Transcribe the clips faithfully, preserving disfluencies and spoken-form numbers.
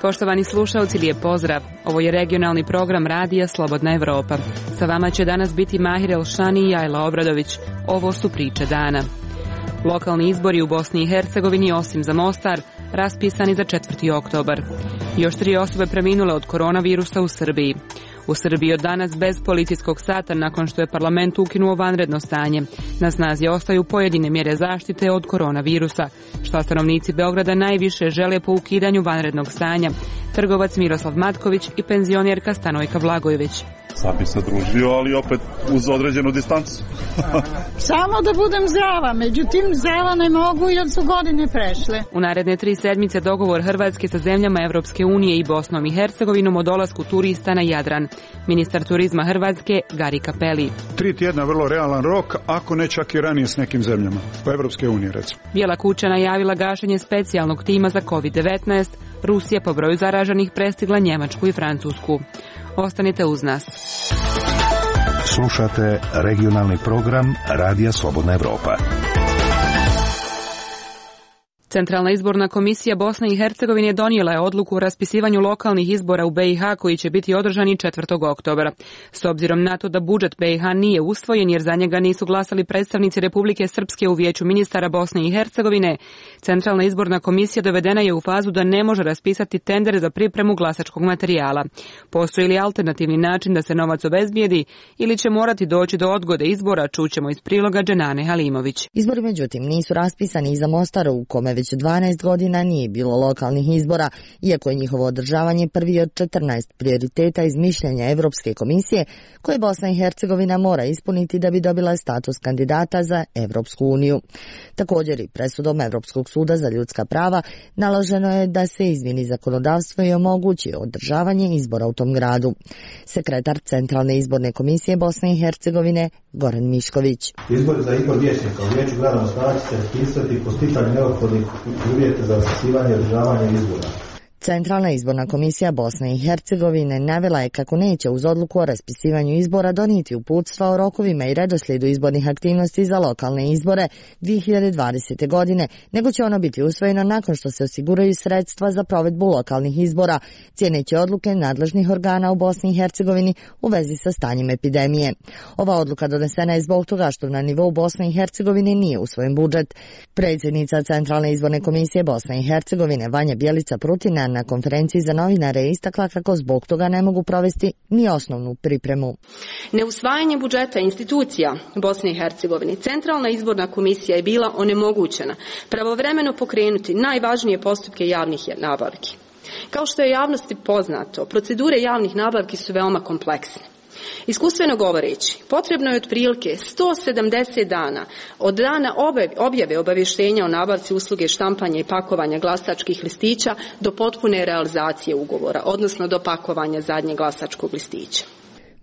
Poštovani slušalci, lijep pozdrav. Ovo je regionalni program Radija Slobodna Evropa. Sa vama će danas biti Mahir Elšani i Ajla Obradović. Ovo su priče dana. Lokalni izbori u Bosni i Hercegovini, osim za Mostar, raspisani za četvrti oktobar. Još tri osobe preminule od koronavirusa u Srbiji. U Srbiji od danas bez policijskog sata nakon što je parlament ukinuo vanredno stanje. Na snazi ostaju pojedine mjere zaštite od koronavirusa, što stanovnici Beograda najviše žele po ukidanju vanrednog stanja. Trgovac Miroslav Matković i penzionerka Stanojka Vlagojević. Sam bi se družio, ali opet uz određenu distancu. Samo da budem zdrava, međutim zdrava ne mogu jer su godine prešle. U naredne tri sedmice dogovor Hrvatske sa zemljama Evropske unije i Bosnom i Hercegovinom o dolasku turista na Jadran. Ministar turizma Hrvatske Gari Cappelli. Tri tjedna vrlo realan rok, ako ne čak i ranije s nekim zemljama, po Evropske unije recimo. Bijela kuća najavila gašenje specijalnog tima za kovid devetnaest, Rusija po broju zaraženih prestigla Njemačku i Francusku. Ostanite uz nas. Slušate regionalni program Radija Slobodna Evropa. Centralna izborna komisija Bosne i Hercegovine donijela je odluku o raspisivanju lokalnih izbora u B i H koji će biti održani četvrtog oktobra. S obzirom na to da budžet B i H nije usvojen jer za njega nisu glasali predstavnici Republike Srpske u Vijeću ministara Bosne i Hercegovine, Centralna izborna komisija dovedena je u fazu da ne može raspisati tender za pripremu glasačkog materijala. Postoji li alternativni način da se novac obezbijedi ili će morati doći do odgode izbora, čućemo iz priloga Dženane Halimović. Izbori međutim nisu raspisani i za Mostar u kome već dvanaest godina nije bilo lokalnih izbora, iako je njihovo održavanje prvi od četrnaest prioriteta iz mišljenja Evropske komisije koje Bosna i Hercegovina mora ispuniti da bi dobila status kandidata za Evropsku uniju. Također i presudom Evropskog suda za ljudska prava naloženo je da se izmjeni zakonodavstvo i omogući održavanje izbora u tom gradu. Sekretar Centralne izborne komisije Bosne i Hercegovine Goran Mišković. Izbor za izbor vijećnika u Vijeću grada Mostara će se raspisati po sticanju neophodnih uvjeta za raspisivanje i održavanje izbora. Centralna izborna komisija Bosne i Hercegovine navela je kako neće uz odluku o raspisivanju izbora donijeti uputstva o rokovima i redoslijedu izbornih aktivnosti za lokalne izbore dvije hiljade dvadesete. godine, nego će ono biti usvojeno nakon što se osiguraju sredstva za provedbu lokalnih izbora, cijeneći odluke nadležnih organa u Bosni i Hercegovini u vezi sa stanjem epidemije. Ova odluka donesena je zbog toga što na nivou Bosne i Hercegovine nije usvojen budžet. Predsjednica Centralne izborne komisije Bosne i Hercegovine Vanja Bjelica Prutina na konferenciji za novinare je istakla kako zbog toga ne mogu provesti ni osnovnu pripremu. Neusvajanje budžeta institucija Bosne i Hercegovine, Centralna izborna komisija je bila onemogućena pravovremeno pokrenuti najvažnije postupke javnih nabavki. Kao što je javnosti poznato, procedure javnih nabavki su veoma kompleksne. Iskustveno govoreći, potrebno je otprilike sto sedamdeset dana od dana objave obavještenja o nabavci usluge štampanja i pakovanja glasačkih listića do potpune realizacije ugovora, odnosno do pakovanja zadnjeg glasačkog listića.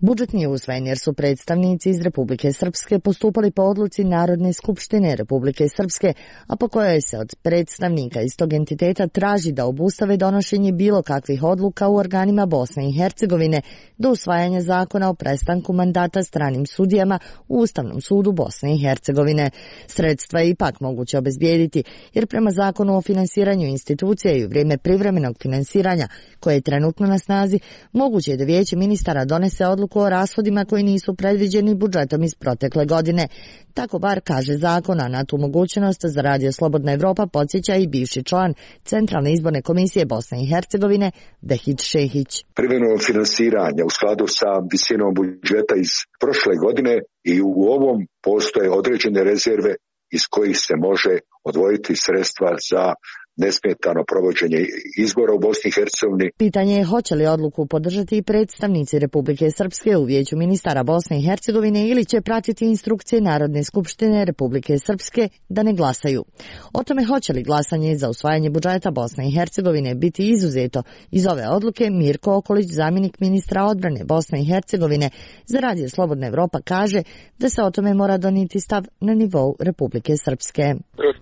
Budžet nije usvojen jer su predstavnici iz Republike Srpske postupali po odluci Narodne skupštine Republike Srpske, a po kojoj se od predstavnika iz tog entiteta traži da obustave donošenje bilo kakvih odluka u organima Bosne i Hercegovine do usvajanja zakona o prestanku mandata stranim sudijama u Ustavnom sudu Bosne i Hercegovine. Sredstva je ipak moguće obezbijediti jer prema zakonu o finansiranju institucija i u vrijeme privremenog finansiranja koje je trenutno na snazi, moguće je da Vijeće ministara donese odluku o rashodima koji nisu predviđeni budžetom iz protekle godine. Tako bar kaže zakon, a na tu mogućnost za Radio Slobodna Evropa podsjeća i bivši član Centralne izborne komisije Bosne i Hercegovine Behid Šehić. Privremeno finansiranje u skladu sa visinom budžeta iz prošle godine i u ovom postoje određene rezerve iz kojih se može odvojiti sredstva za nesmetano provođenje izbora u Bosni i Hercegovini. Pitanje je hoće li odluku podržati i predstavnici Republike Srpske u Vijeću ministara Bosne i Hercegovine ili će pratiti instrukcije Narodne skupštine Republike Srpske da ne glasaju. O tome hoće li glasanje za usvajanje budžeta Bosne i Hercegovine biti izuzeto iz ove odluke, Mirko Okolić, zamjenik ministra odbrane Bosne i Hercegovine za Radio Slobodna Evropa, kaže da se o tome mora donijeti stav na nivou Republike Srpske.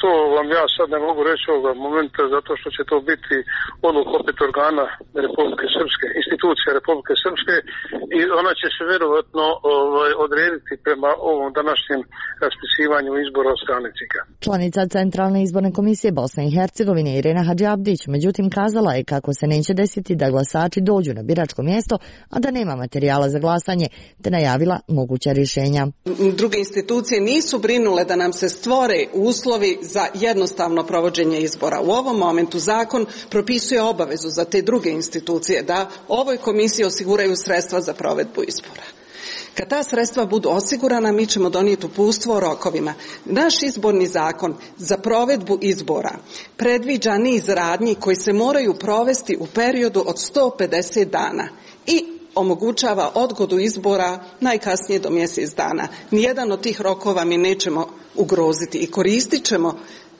To vam ja sad ne mogu reći ovoga momenta. parlamenta, zato što će to biti odluka opet organa Republike Srpske, institucija Republike Srpske, i ona će se verovatno ovaj, odrediti prema ovom današnjem raspisivanju izbora od strane C I K-a. Članica Centralne izborne komisije Bosne i Hercegovine Irena Hadžiabdić međutim kazala je kako se neće desiti da glasači dođu na biračko mjesto, a da nema materijala za glasanje, te najavila moguća rješenja. Druge institucije nisu brinule da nam se stvore uslovi za jednostavno provođenje izbora. U ovom momentu zakon propisuje obavezu za te druge institucije da ovoj komisiji osiguraju sredstva za provedbu izbora. Kad ta sredstva budu osigurana, mi ćemo donijeti uputstvo o rokovima. Naš izborni zakon za provedbu izbora predviđa niz radnji koji se moraju provesti u periodu od sto pedeset dana i omogućava odgodu izbora najkasnije do mjesec dana. Nijedan od tih rokova mi nećemo ugroziti i koristit ćemo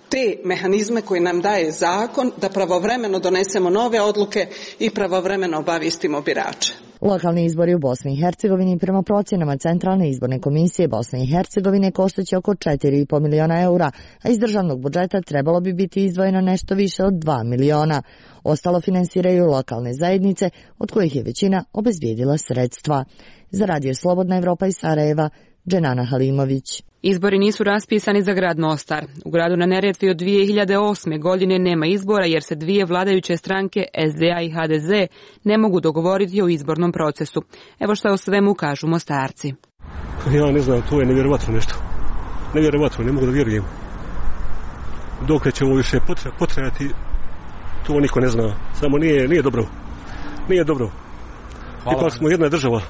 te mehanizme koje nam daje zakon da pravovremeno donesemo nove odluke i pravovremeno obavistimo birače. Lokalni izbori u Bosni i Hercegovini prema procjenama Centralne izborne komisije Bosne i Hercegovine koštaće oko četiri i po miliona eura, a iz državnog budžeta trebalo bi biti izdvojeno nešto više od dva miliona. Ostalo finansiraju lokalne zajednice, od kojih je većina obezbijedila sredstva. Za Radio Slobodna Evropa iz Sarajeva, Dženana Halimović. Izbori nisu raspisani za grad Mostar. U gradu na Neretvi od dvije hiljade osme. godine nema izbora jer se dvije vladajuće stranke S D A i H D Z ne mogu dogovoriti o izbornom procesu. Evo što o svemu kažu Mostarci. Ja ne znam, to je nevjerovatno nešto. Nevjerovatno, ne mogu da vjerujem. Dok će ovo više potrajati, to niko ne zna. Samo nije, nije dobro. Nije dobro. Hvala. Ipak smo jedna država.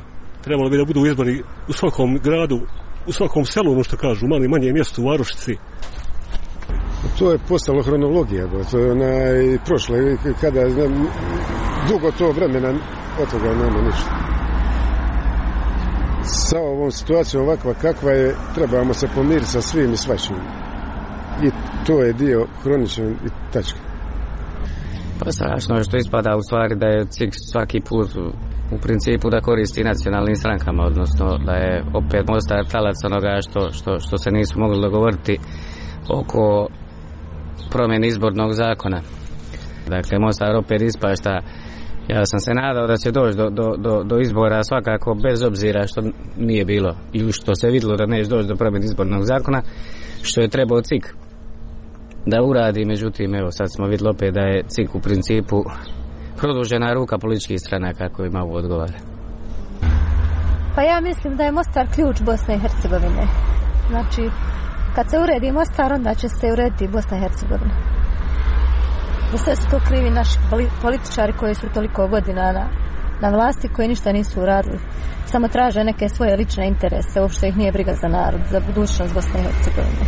Trebalo bi da budu izbori u svakom gradu, u svakom selu, ono što kažu, manje manje mjestu, u varošici. To je postalo hronologija, to je onaj prošle, kada dugo to vremena od toga nema ništa. Sa ovom situacijom ovakva kakva je, trebamo se pomiriti sa svim i svačim. I to je dio hroničan i tačka. Pa strašno je što ispada u stvari da je C I K svaki put u principu da koristi nacionalnim strankama, odnosno da je opet Mostar talac onoga što, što, što se nisu mogli dogovoriti oko promjene izbornog zakona. Dakle, Mostar opet ispašta. Ja sam se nadao da će doći do, do, do, do izbora svakako bez obzira što nije bilo ili što se vidjelo da neće doći do promjene izbornog zakona, što je trebao C I K da uradi. Međutim, evo sad smo vidjeli opet da je C I K u principu produžena ruka političkih stranaka kojima ovo odgovara. Pa ja mislim da je Mostar ključ Bosne i Hercegovine. Znači, kad se uredi Mostar, onda će se urediti Bosna i Hercegovina. Za sve su to krivi naši političari koji su toliko godina na, na vlasti, koji ništa nisu uradili. Samo traže neke svoje lične interese, uopšte ih nije briga za narod, za budućnost Bosne i Hercegovine.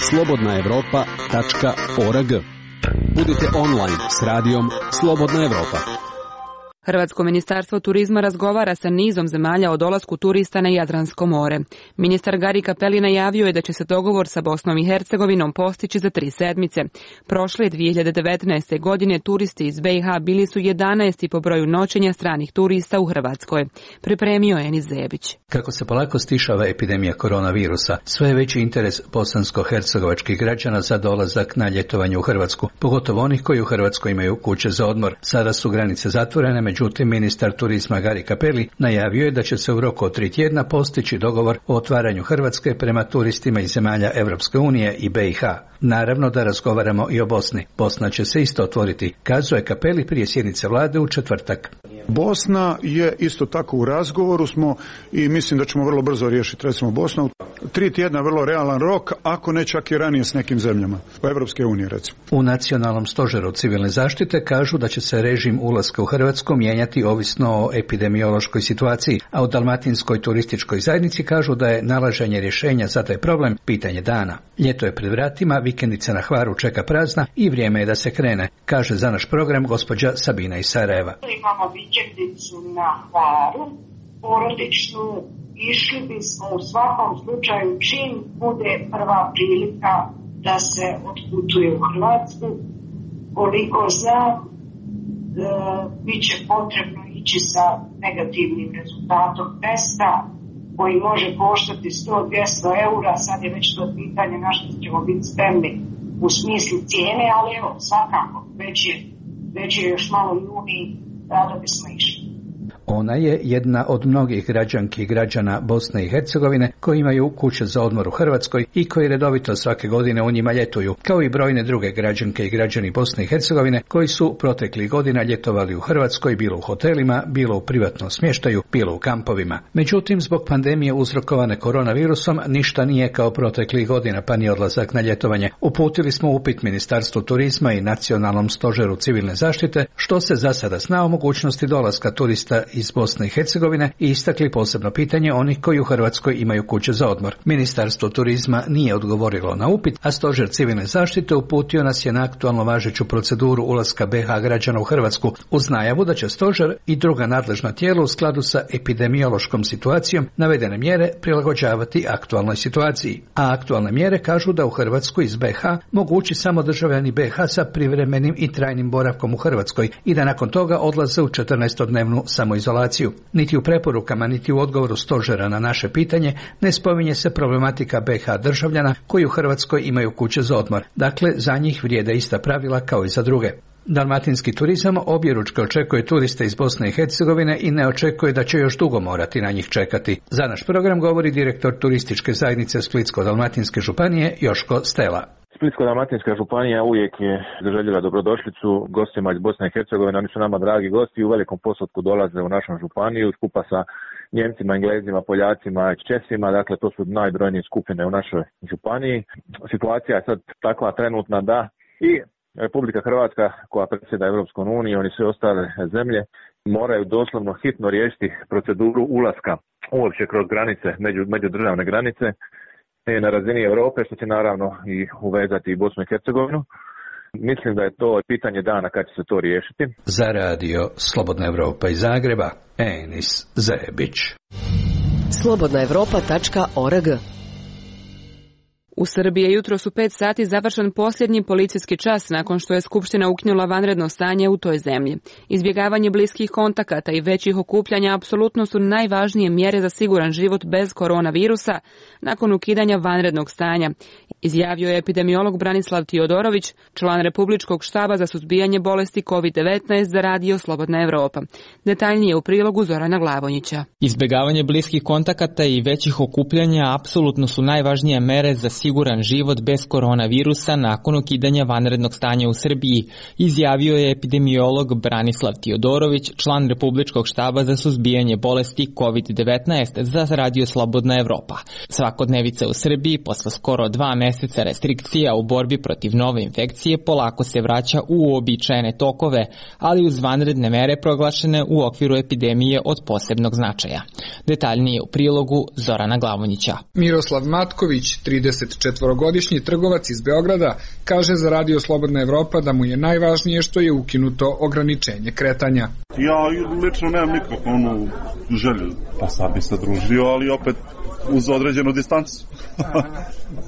slobodna evropa tačka org. Budite online s radijom Slobodna Evropa. Hrvatsko ministarstvo turizma razgovara sa nizom zemalja o dolasku turista na Jadransko more. Ministar Gari Cappelli najavio je da će se dogovor sa Bosnom i Hercegovinom postići za tri sedmice. Prošle dvije hiljade devetnaeste. godine turisti iz B i H bili su jedanaesti po broju noćenja stranih turista u Hrvatskoj. Pripremio je Enis Zebić. Kako se polako stišava epidemija koronavirusa, sve je veći interes bosansko-hercegovačkih građana za dolazak na ljetovanje u Hrvatsku, pogotovo onih koji u Hrvatskoj imaju kuće za odmor. Sada su granice zatvorene, međutim ministar turizma Gari Cappelli najavio je da će se u roku od tri tjedna postići dogovor o otvaranju Hrvatske prema turistima iz zemalja Europske unije i B i H. Naravno da razgovaramo i o Bosni. Bosna će se isto otvoriti, kazao je Cappelli prije sjednice vlade u četvrtak. Bosna je isto tako u razgovoru smo i mislim da ćemo vrlo brzo riješiti recimo Bosnu. Tri tjedna vrlo realan rok, ako ne čak i ranije s nekim zemljama, u Europske unije recimo. U Nacionalnom stožeru civilne zaštite kažu da će se režim ulaska u Hrvatsku mijenjati ovisno o epidemiološkoj situaciji, a u Dalmatinskoj turističkoj zajednici kažu da je nalaženje rješenja za taj problem pitanje dana. Ljeto je pred vratima, vikendica na Hvaru čeka prazna i vrijeme je da se krene, kaže za naš program gospođa Sabina iz Sarajeva. Imamo vikendicu na Hvaru, porodičnu, išli bismo u svakom slučaju čim bude prva prilika da se otputuje u Hrvatsku. Koliko znam, e, bit će potrebno ići sa negativnim rezultatom testa koji može koštati sto do dvjesto eura, sad je već to pitanje na što ćemo biti spremni u smislu cijene, ali evo, svakako, već je, već je još malo juni, rado bismo išli. Ona je jedna od mnogih građanki i građana Bosne i Hercegovine koji imaju kuće za odmor u Hrvatskoj i koji redovito svake godine u njima ljetuju, kao i brojne druge građanke i građani Bosne i Hercegovine koji su proteklih godina ljetovali u Hrvatskoj, bilo u hotelima, bilo u privatnom smještaju, bilo u kampovima. Međutim, zbog pandemije uzrokovane koronavirusom ništa nije kao proteklih godina, pa ni odlazak na ljetovanje. Uputili smo upit Ministarstvu turizma i Nacionalnom stožeru civilne zaštite, što se za sada zna o mogućnosti dolaska turista iz Bosne i Hercegovine i istakli posebno pitanje onih koji u Hrvatskoj imaju kuće za odmor. Ministarstvo turizma nije odgovorilo na upit, a stožer civilne zaštite uputio nas je na aktualno važeću proceduru ulaska be ha građana u Hrvatsku uz najavu da će stožer i druga nadležna tijela u skladu sa epidemiološkom situacijom navedene mjere prilagođavati aktualnoj situaciji. A aktualne mjere kažu da u Hrvatsku iz be ha mogu ući samo državljani be ha sa privremenim i trajnim boravkom u Hrvatskoj i da nakon toga odlaze u četrnaestodnevnu samoizolaciju. Niti u preporukama, niti u odgovoru stožera na naše pitanje ne spominje se problematika be ha državljana koji u Hrvatskoj imaju kuće za odmor. Dakle, za njih vrijede ista pravila kao i za druge. Dalmatinski turizam objeručke očekuje turiste iz Bosne i Hercegovine i ne očekuje da će još dugo morati na njih čekati. Za naš program govori direktor turističke zajednice Splitsko-dalmatinske županije Joško Stela. Splitsko-dalmatinska županija uvijek je zaželjela dobrodošlicu gostima iz Bosne i Hercegovine. Oni su nama dragi gosti i u velikom postotku dolaze u našu županiju skupa sa Njemcima, Englezima, Poljacima i Česima. Dakle, to su najbrojnije skupine u našoj županiji. Situacija je sad takva trenutna da i Republika Hrvatska koja predsjeda Europskom unijom i sve ostale zemlje moraju doslovno hitno riješiti proceduru ulaska uopće kroz granice, među, međudržavne granice na razini Europe, što će naravno i uvezati i Bosnu i Hercegovinu. Mislim da je to pitanje dana kad će se to riješiti. Za radio Slobodna Evropa iz Zagreba, Enis Zebić. slobodna evropa tačka org. U Srbiji je jutros u pet sati završen posljednji policijski čas nakon što je Skupština ukinula vanredno stanje u toj zemlji. Izbjegavanje bliskih kontakata i većih okupljanja apsolutno su najvažnije mjere za siguran život bez koronavirusa nakon ukidanja vanrednog stanja, izjavio je epidemiolog Branislav Tiodorović, član Republičkog štaba za suzbijanje bolesti kovid devetnaest za radio Slobodna Evropa. Detaljnije u prilogu Zorana Glavonjića. Izbjegavanje bliskih kontakata i većih okupljanja apsolutno su najvažnije mere za siguran život bez koronavirusa nakon ukidanja vanrednog stanja u Srbiji, izjavio je epidemiolog Branislav Tiodorović, član Republičkog štaba za suzbijanje bolesti kovid devetnaest za radio Slobodna Evropa. Svakodnevica u Srbiji posle skoro dva meseca restrikcija u borbi protiv nove infekcije polako se vraća u uobičajene tokove, ali uz vanredne mere proglašene u okviru epidemije od posebnog značaja. Detaljnije u prilogu Zorana Glavonjića. Miroslav Matković, trideset četvorogodišnji trgovac iz Beograda, kaže za radio Slobodna Evropa da mu je najvažnije što je ukinuto ograničenje kretanja. Ja lično nemam nikakvu onu želju, pa sad bi se družio, ali opet uz određenu distancu.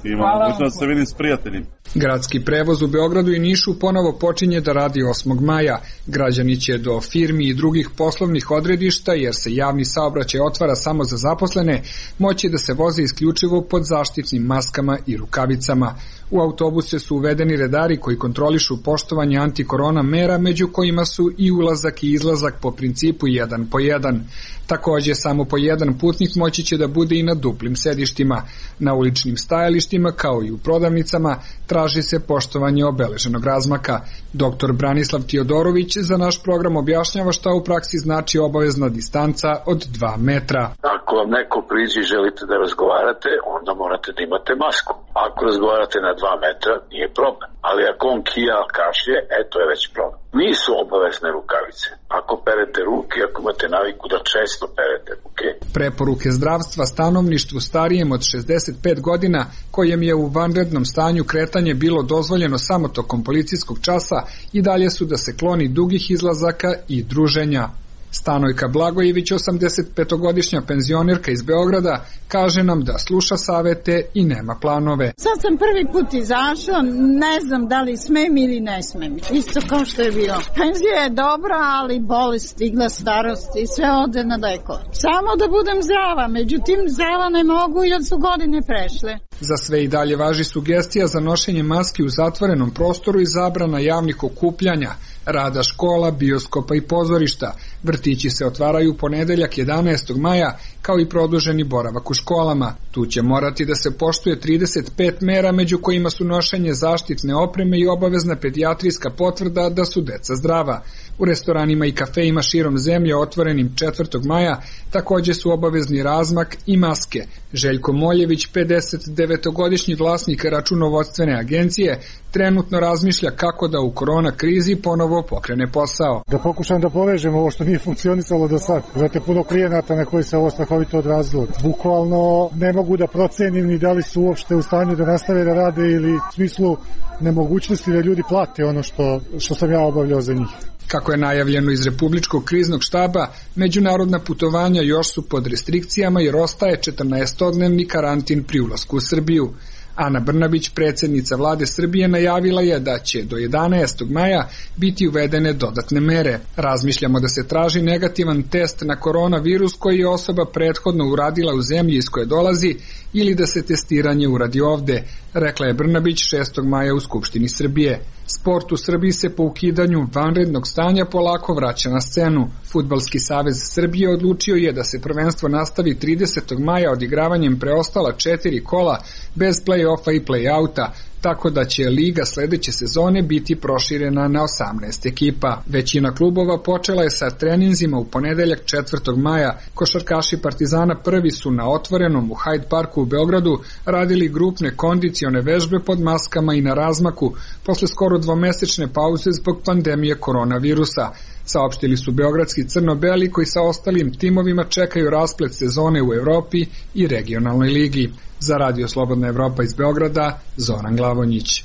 Imam mogućnost da se vidim s prijateljima. Gradski prevoz u Beogradu i Nišu ponovo počinje da radi osmog maja. Građani će do firmi i drugih poslovnih odredišta, jer se javni saobraćaj otvara samo za zaposlene, moći da se voze isključivo pod zaštitnim maskama i rukavicama. U autobuse su uvedeni redari koji kontrolišu poštovanje antikorona mera, među kojima su i ulazak i izlazak po principu jedan po jedan. Takođe, samo po jedan putnik moći će da bude i na duplim sedištima. Na uličnim stajalištima, kao i u prodavnicama, traži se poštovanje obeleženog razmaka. Doktor Branislav Tiodorović za naš program objašnjava šta u praksi znači obavezna distanca od dva metra. Ako vam neko priđe i želite da razgovarate, onda morate da imate masku. Ako razgovarate na dva metra, nije problem. Ali ako on kija, kašlje, eto je već problem. Nisu obavezne rukavice. Ako perete ruke, ako imate naviku da često perete ruke. Preporuke zdravstva stanovništvu starijem od šezdeset pet godina, kojem je u vanrednom stanju kretanje bilo dozvoljeno samo tokom policijskog časa, i dalje su da se kloni dugih izlazaka i druženja. Stanojka Blagojević, osamdesetpetogodišnja penzionerka iz Beograda, kaže nam da sluša savete i nema planove. Sad sam prvi put izašao, ne znam da li smem ili ne smem. Isto kao što je bilo. Penzija je dobra, ali bolest stigla, starost i sve ode na daleko. Samo da budem zdrava, međutim zdrava ne mogu jer su godine prešle. Za sve i dalje važi sugestija za nošenje maski u zatvorenom prostoru i zabrana javnih okupljanja, rada škola, bioskopa i pozorišta. Vrtići se otvaraju u ponedeljak jedanaestog maja, kao i produženi boravak u školama. Tu će morati da se poštuje trideset pet mera, među kojima su nošenje zaštitne opreme i obavezna pedijatrijska potvrda da su deca zdrava. U restoranima i kafejima širom zemlje otvorenim četvrtog maja takođe su obavezni razmak i maske. Željko Moljević, pedeset devetogodišnji vlasnik računovodstvene agencije, trenutno razmišlja kako da u korona krizi ponovo pokrene posao. Da pokušam da povežem ovo što nije funkcionisalo do sad. Znate, puno klijenata na koji se ovo strahovito odrazilo. Bukvalno ne mogu da procenim ni da li su uopšte u stanju da nastave da rade ili u smislu nemogućnosti da ljudi plate ono što, što sam ja obavljao za njih. Kako je najavljeno iz Republičkog kriznog štaba, međunarodna putovanja još su pod restrikcijama jer ostaje četrnaestodnevni karantin pri ulasku u Srbiju. Ana Brnabić, predsjednica vlade Srbije, najavila je da će do jedanaestog maja biti uvedene dodatne mere. Razmišljamo da se traži negativan test na koronavirus koji je osoba prethodno uradila u zemlji iz koje dolazi ili da se testiranje uradi ovde, rekla je Brnabić šestog maja u Skupštini Srbije. Sport u Srbiji se po ukidanju vanrednog stanja polako vraća na scenu. Fudbalski savez Srbije odlučio je da se prvenstvo nastavi tridesetog maja odigravanjem preostala četiri kola bez play-offa i play-outa, tako da će liga sledeće sezone biti proširena na osamnaest ekipa. Većina klubova počela je sa treninzima u ponedeljak četvrtog maja. Košarkaši Partizana prvi su na otvorenom u Hyde Parku u Beogradu radili grupne kondicione vežbe pod maskama i na razmaku posle skoro dvomesečne pauze zbog pandemije koronavirusa. Saopštili su beogradski crno-beli koji sa ostalim timovima čekaju rasplet sezone u Evropi i regionalnoj ligi. Za Radio Slobodna Evropa iz Beograda, Zoran Glavonjić.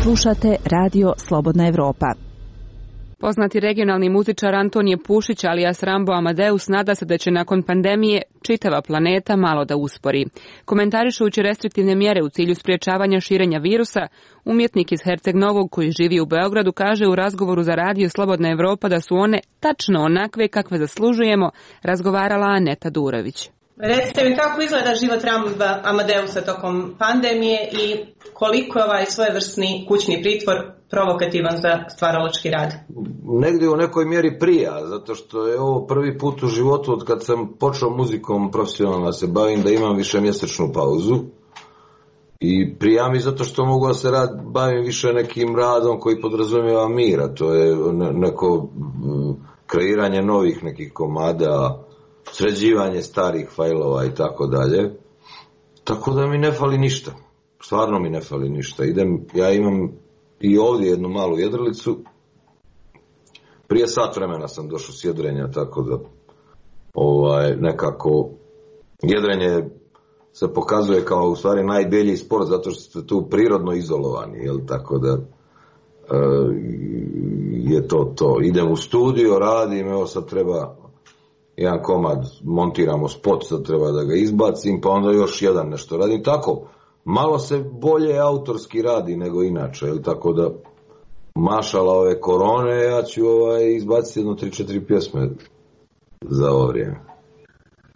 Slušate Radio Slobodna Evropa. Poznati regionalni muzičar Antonije Pušić alias Rambo Amadeus nada se da će nakon pandemije čitava planeta malo da uspori. Komentarišući restriktivne mjere u cilju spriječavanja širenja virusa, umjetnik iz Herceg Novog koji živi u Beogradu kaže u razgovoru za Radio Slobodna Evropa da su one tačno onakve kakve zaslužujemo, razgovarala Aneta Durović. Recite mi kako izgleda život Ramba Amadeusa tokom pandemije i koliko je ovaj svojevrsni kućni pritvor provokativan za stvaralački rad? Negdje u nekoj mjeri prija, zato što je ovo prvi put u životu od kad sam počeo muzikom profesionalno se bavim da imam višemjesečnu pauzu. I prija mi zato što mogu da se rad, bavim više nekim radom koji podrazumijeva mira, to je neko kreiranje novih nekih komada, sređivanje starih fajlova i tako dalje. Tako da mi ne fali ništa. Stvarno mi ne fali ništa. Idem, ja imam i ovdje jednu malu jedrilicu. Prije sat vremena sam došao s jedrenja, tako da ovaj, nekako jedrenje se pokazuje kao u stvari najbjelji sport zato što ste tu prirodno izolovani, jel? Tako da e, je to to. Idem u studio, radim, evo sad treba jedan komad, montiramo spot, sad treba da ga izbacim, pa onda još jedan nešto radim. Tako, malo se bolje autorski radi nego inače, jel? Tako da mašala ove korone, ja ću ovaj, izbaciti jedno tri četiri pjesme za ovo vrijeme.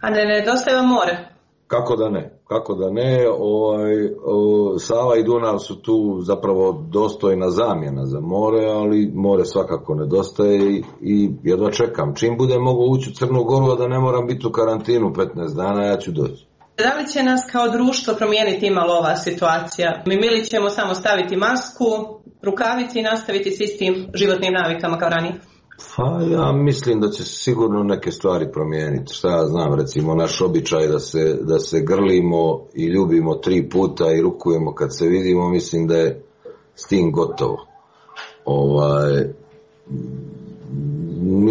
A ne nedostaje vam more? Kako da ne, kako da ne, ovaj, o, Sava i Dunav su tu zapravo dostojna zamjena za more, ali more svakako nedostaje i, i jedva čekam. Čim bude mogu ući u Crnu Goru, a da ne moram biti u karantinu petnaest dana, ja ću doći. Da li će nas kao društvo promijeniti imalo ova situacija? Mi ili ćemo samo staviti masku, rukavice i nastaviti s istim životnim navikama kao ranije? Pa ja mislim da će sigurno neke stvari promijeniti. Šta ja znam, recimo naš običaj da se, da se grlimo i ljubimo tri puta i rukujemo kad se vidimo, mislim da je s tim gotovo. Ovaj,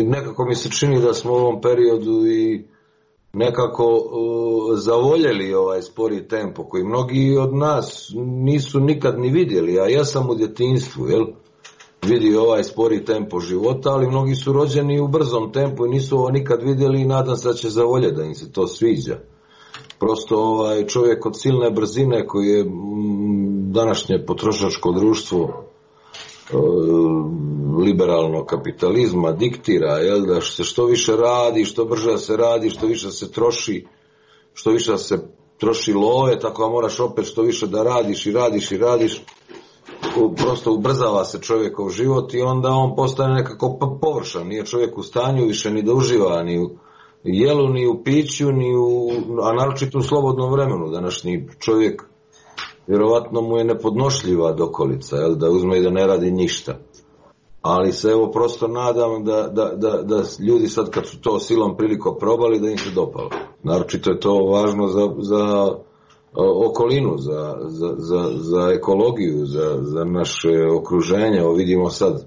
nekako mi se čini da smo u ovom periodu i nekako uh, zavoljeli ovaj spori tempo koji mnogi od nas nisu nikad ni vidjeli, a ja sam u djetinjstvu, jel? vidi ovaj spori tempo života, ali mnogi su rođeni u brzom tempu i nisu ovo nikad vidjeli i nadam se da će zavoljeti da im se to sviđa. Prosto ovaj čovjek od silne brzine koji je m, današnje potrošačko društvo e, liberalnog kapitalizma diktira, jel, da se što više radi, što brže se radi, što više se troši, što više se troši love, tako da moraš opet što više da radiš i radiš i radiš. Prosto ubrzava se čovjekov život i onda on postane nekako površan. Nije čovjek u stanju više ni da uživa ni u jelu, ni u piću, ni u, a naročito u slobodnom vremenu. Današnji čovjek vjerovatno mu je nepodnošljiva dokolica, jel, da uzme i da ne radi ništa. Ali se evo prosto nadam da, da, da, da ljudi sad kad su to silom priliko probali da im se dopalo. Naročito je to važno za, za okolinu, za, za, za, za ekologiju, za, za naše okruženje. Evo vidimo sad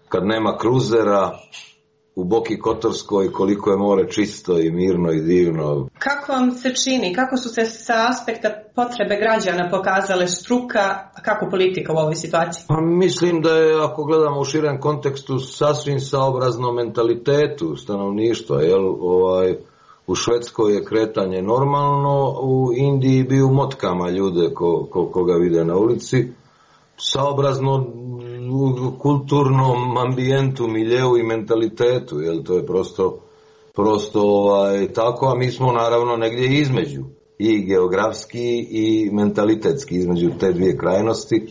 kad nema kruzera u Boki Kotorskoj koliko je more čisto i mirno i divno. Kako vam se čini, kako su se sa aspekta potrebe građana pokazale struka, a kako politika u ovoj situaciji? Pa mislim da je, ako gledamo u širem kontekstu, sasvim saobrazno mentalitetu stanovništva, jel, ovaj, u Švedskoj je kretanje normalno, u Indiji bi u motkama ljude ko, ko, koga vide na ulici, saobrazno u kulturnom ambijentu, miljeu i mentalitetu, jel, to je prosto, prosto ovaj, tako, a mi smo naravno negdje između, i geografski i mentalitetski, između te dvije krajnosti.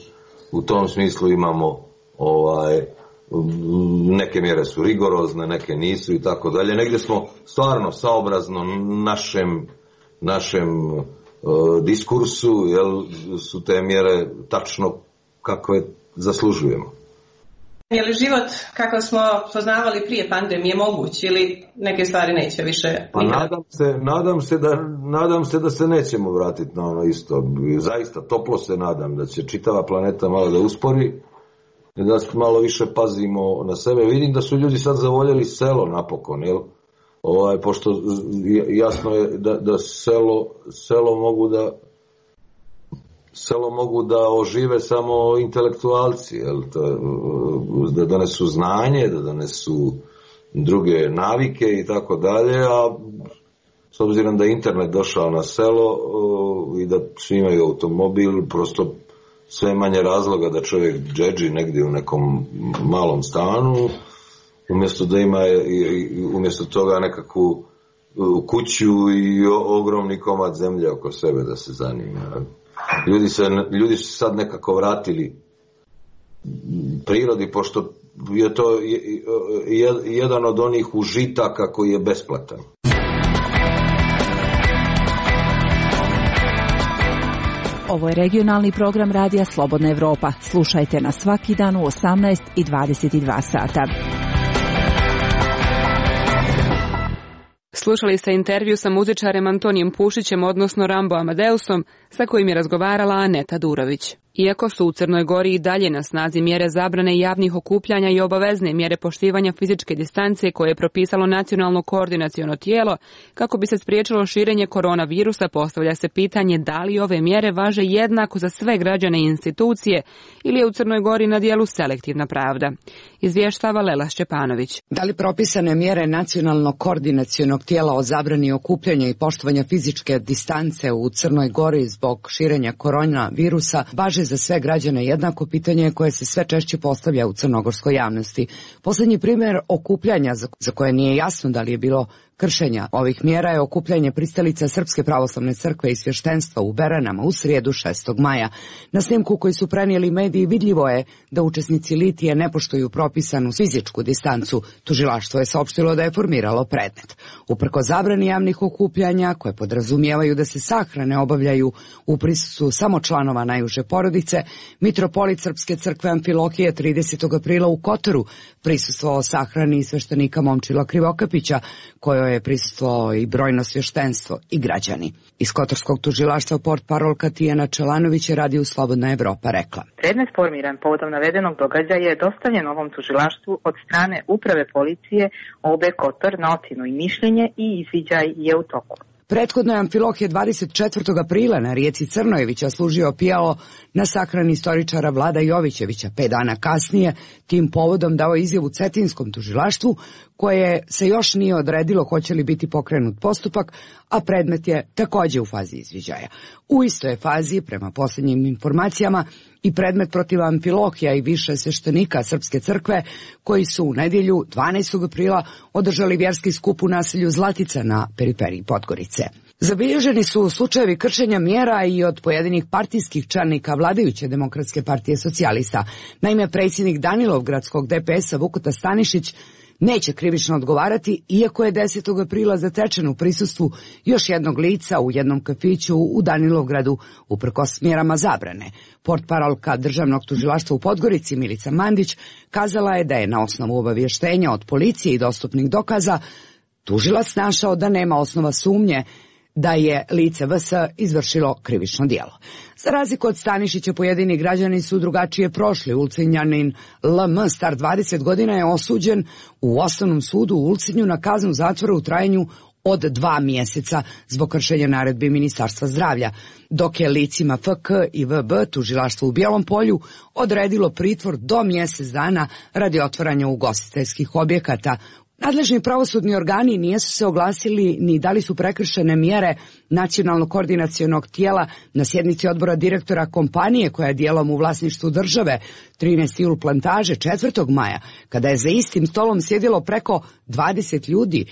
U tom smislu imamo ovaj, neke mjere su rigorozne, neke nisu i tako dalje. Negdje smo stvarno saobrazno našem, našem uh, diskursu, jel, su te mjere tačno kakve zaslužujemo. Je li život kakav smo poznavali prije pandemije moguć ili neke stvari neće više? Pa nadam se, nadam se da, nadam se da se nećemo vratiti na ono isto. Zaista toplo se nadam da će čitava planeta malo da uspori, da malo više pazimo na sebe. Vidim da su ljudi sad zavoljeli selo napokon, jel? Ovaj, pošto jasno je da, da selo, selo mogu da selo mogu da ožive samo intelektualci, jel? Da donesu znanje, da donesu druge navike i tako dalje, a s obzirom da je internet došao na selo i da svi imaju automobil, prosto sve manje razloga da čovjek džedži negdje u nekom malom stanu, umjesto da ima umjesto toga nekakvu kuću i ogromni komad zemlje oko sebe da se zanima. Ljudi, se, ljudi su sad nekako vratili prirodi, pošto je to jedan od onih užitaka koji je besplatan. Ovo je regionalni program Radija Slobodna Evropa. Slušajte nas svaki dan u osamnaest i dvadeset dva sata. Slušali ste intervju sa muzičarem Antonijem Pušićem, odnosno Rambo Amadeusom, sa kojim je razgovarala Aneta Durović. Iako su u Crnoj Gori i dalje na snazi mjere zabrane javnih okupljanja i obavezne mjere poštivanja fizičke distance koje je propisalo nacionalno koordinaciono tijelo, kako bi se spriječilo širenje koronavirusa, postavlja se pitanje da li ove mjere važe jednako za sve građane i institucije ili je u Crnoj Gori na dijelu selektivna pravda. Izvještava Lela Šćepanović. Da li propisane mjere nacionalnog koordinacionog tijela o zabrani okupljanja i poštovanja fizičke distance u Crnoj Gori zbog širenja koronavirusa važe za sve građane jednako, pitanje koje se sve češće postavlja u crnogorskoj javnosti. Posljednji primjer okupljanja za koje nije jasno da li je bilo kršenja ovih mjera je okupljanje pristalica Srpske pravoslavne crkve i svještenstva u Beranama u srijedu šestog maja. Na snimku koji su prenijeli mediji vidljivo je da učesnici litije ne poštuju propisanu fizičku distancu. Tužilaštvo je saopštilo da je formiralo predmet. Uprko zabrani javnih okupljanja koje podrazumijevaju da se sahrane obavljaju u prisustvu samo članova najuže porodice, mitropolit Srpske crkve Amfilohije tridesetog aprila u Kotoru prisustvovao sahrani sveštenika Momčila Krivokapića, kojoj je prisustvovao i brojno svještenstvo i građani. Iz Kotorskog tužilaštva portparolka Tijana Čelanović je Radiju Slobodna Evropa rekla. Predmet formiran povodom navedenog događaja je dostavljen ovom tužilaštvu od strane Uprave policije O B Kotor na ocjenu i mišljenje i izviđaj je u toku. Prethodno je Amfilohije dvadeset četvrtog aprila na rijeci Crnojevića služio pijalo na sahrani istoričara Vlada Jovićevića. Pet dana kasnije tim povodom dao izjavu Cetinskom tužilaštvu, koje se još nije odredilo hoće li biti pokrenut postupak, a predmet je takođe u fazi izviđaja. U istoj je fazi, prema posljednjim informacijama, i predmet protiv Amfilohija i više sveštenika Srpske crkve, koji su u nedjelju dvanaestog aprila održali vjerski skup u naselju Zlatica na periferiji Podgorice. Zabilježeni su slučajevi kršenja mjera i od pojedinih partijskih čelnika vladajuće Demokratske partije socijalista. Naime, predsjednik Danilovgradskog D P S-a Vukota Stanišić neće krivično odgovarati, iako je desetog aprila zatečen u prisustvu još jednog lica u jednom kafiću u Danilovgradu uprkos mjerama zabrane. Portparolka Državnog tužilaštva u Podgorici Milica Mandić kazala je da je na osnovu obavještenja od policije i dostupnih dokaza tužilac našao da nema osnova sumnje da je lice V S izvršilo krivično djelo. Za razliku od Stanišića, pojedini građani su drugačije prošli. Ulcinjanin L M, star dvadeset godina, je osuđen u Osnovnom sudu u Ulcinju na kaznu zatvora u trajanju od dva mjeseca zbog kršenja naredbi Ministarstva zdravlja, dok je licima F K i V B tužilaštvo u Bijelom Polju odredilo pritvor do mjesec dana radi otvaranja ugostiteljskih objekata. Nadležni pravosudni organi nisu se oglasili ni da li su prekršene mjere nacionalnog koordinacionog tijela na sjednici odbora direktora kompanije koja je dijelom u vlasništvu države trinaest Jul Plantaže četvrtog maja, kada je za istim stolom sjedilo preko dvadeset ljudi,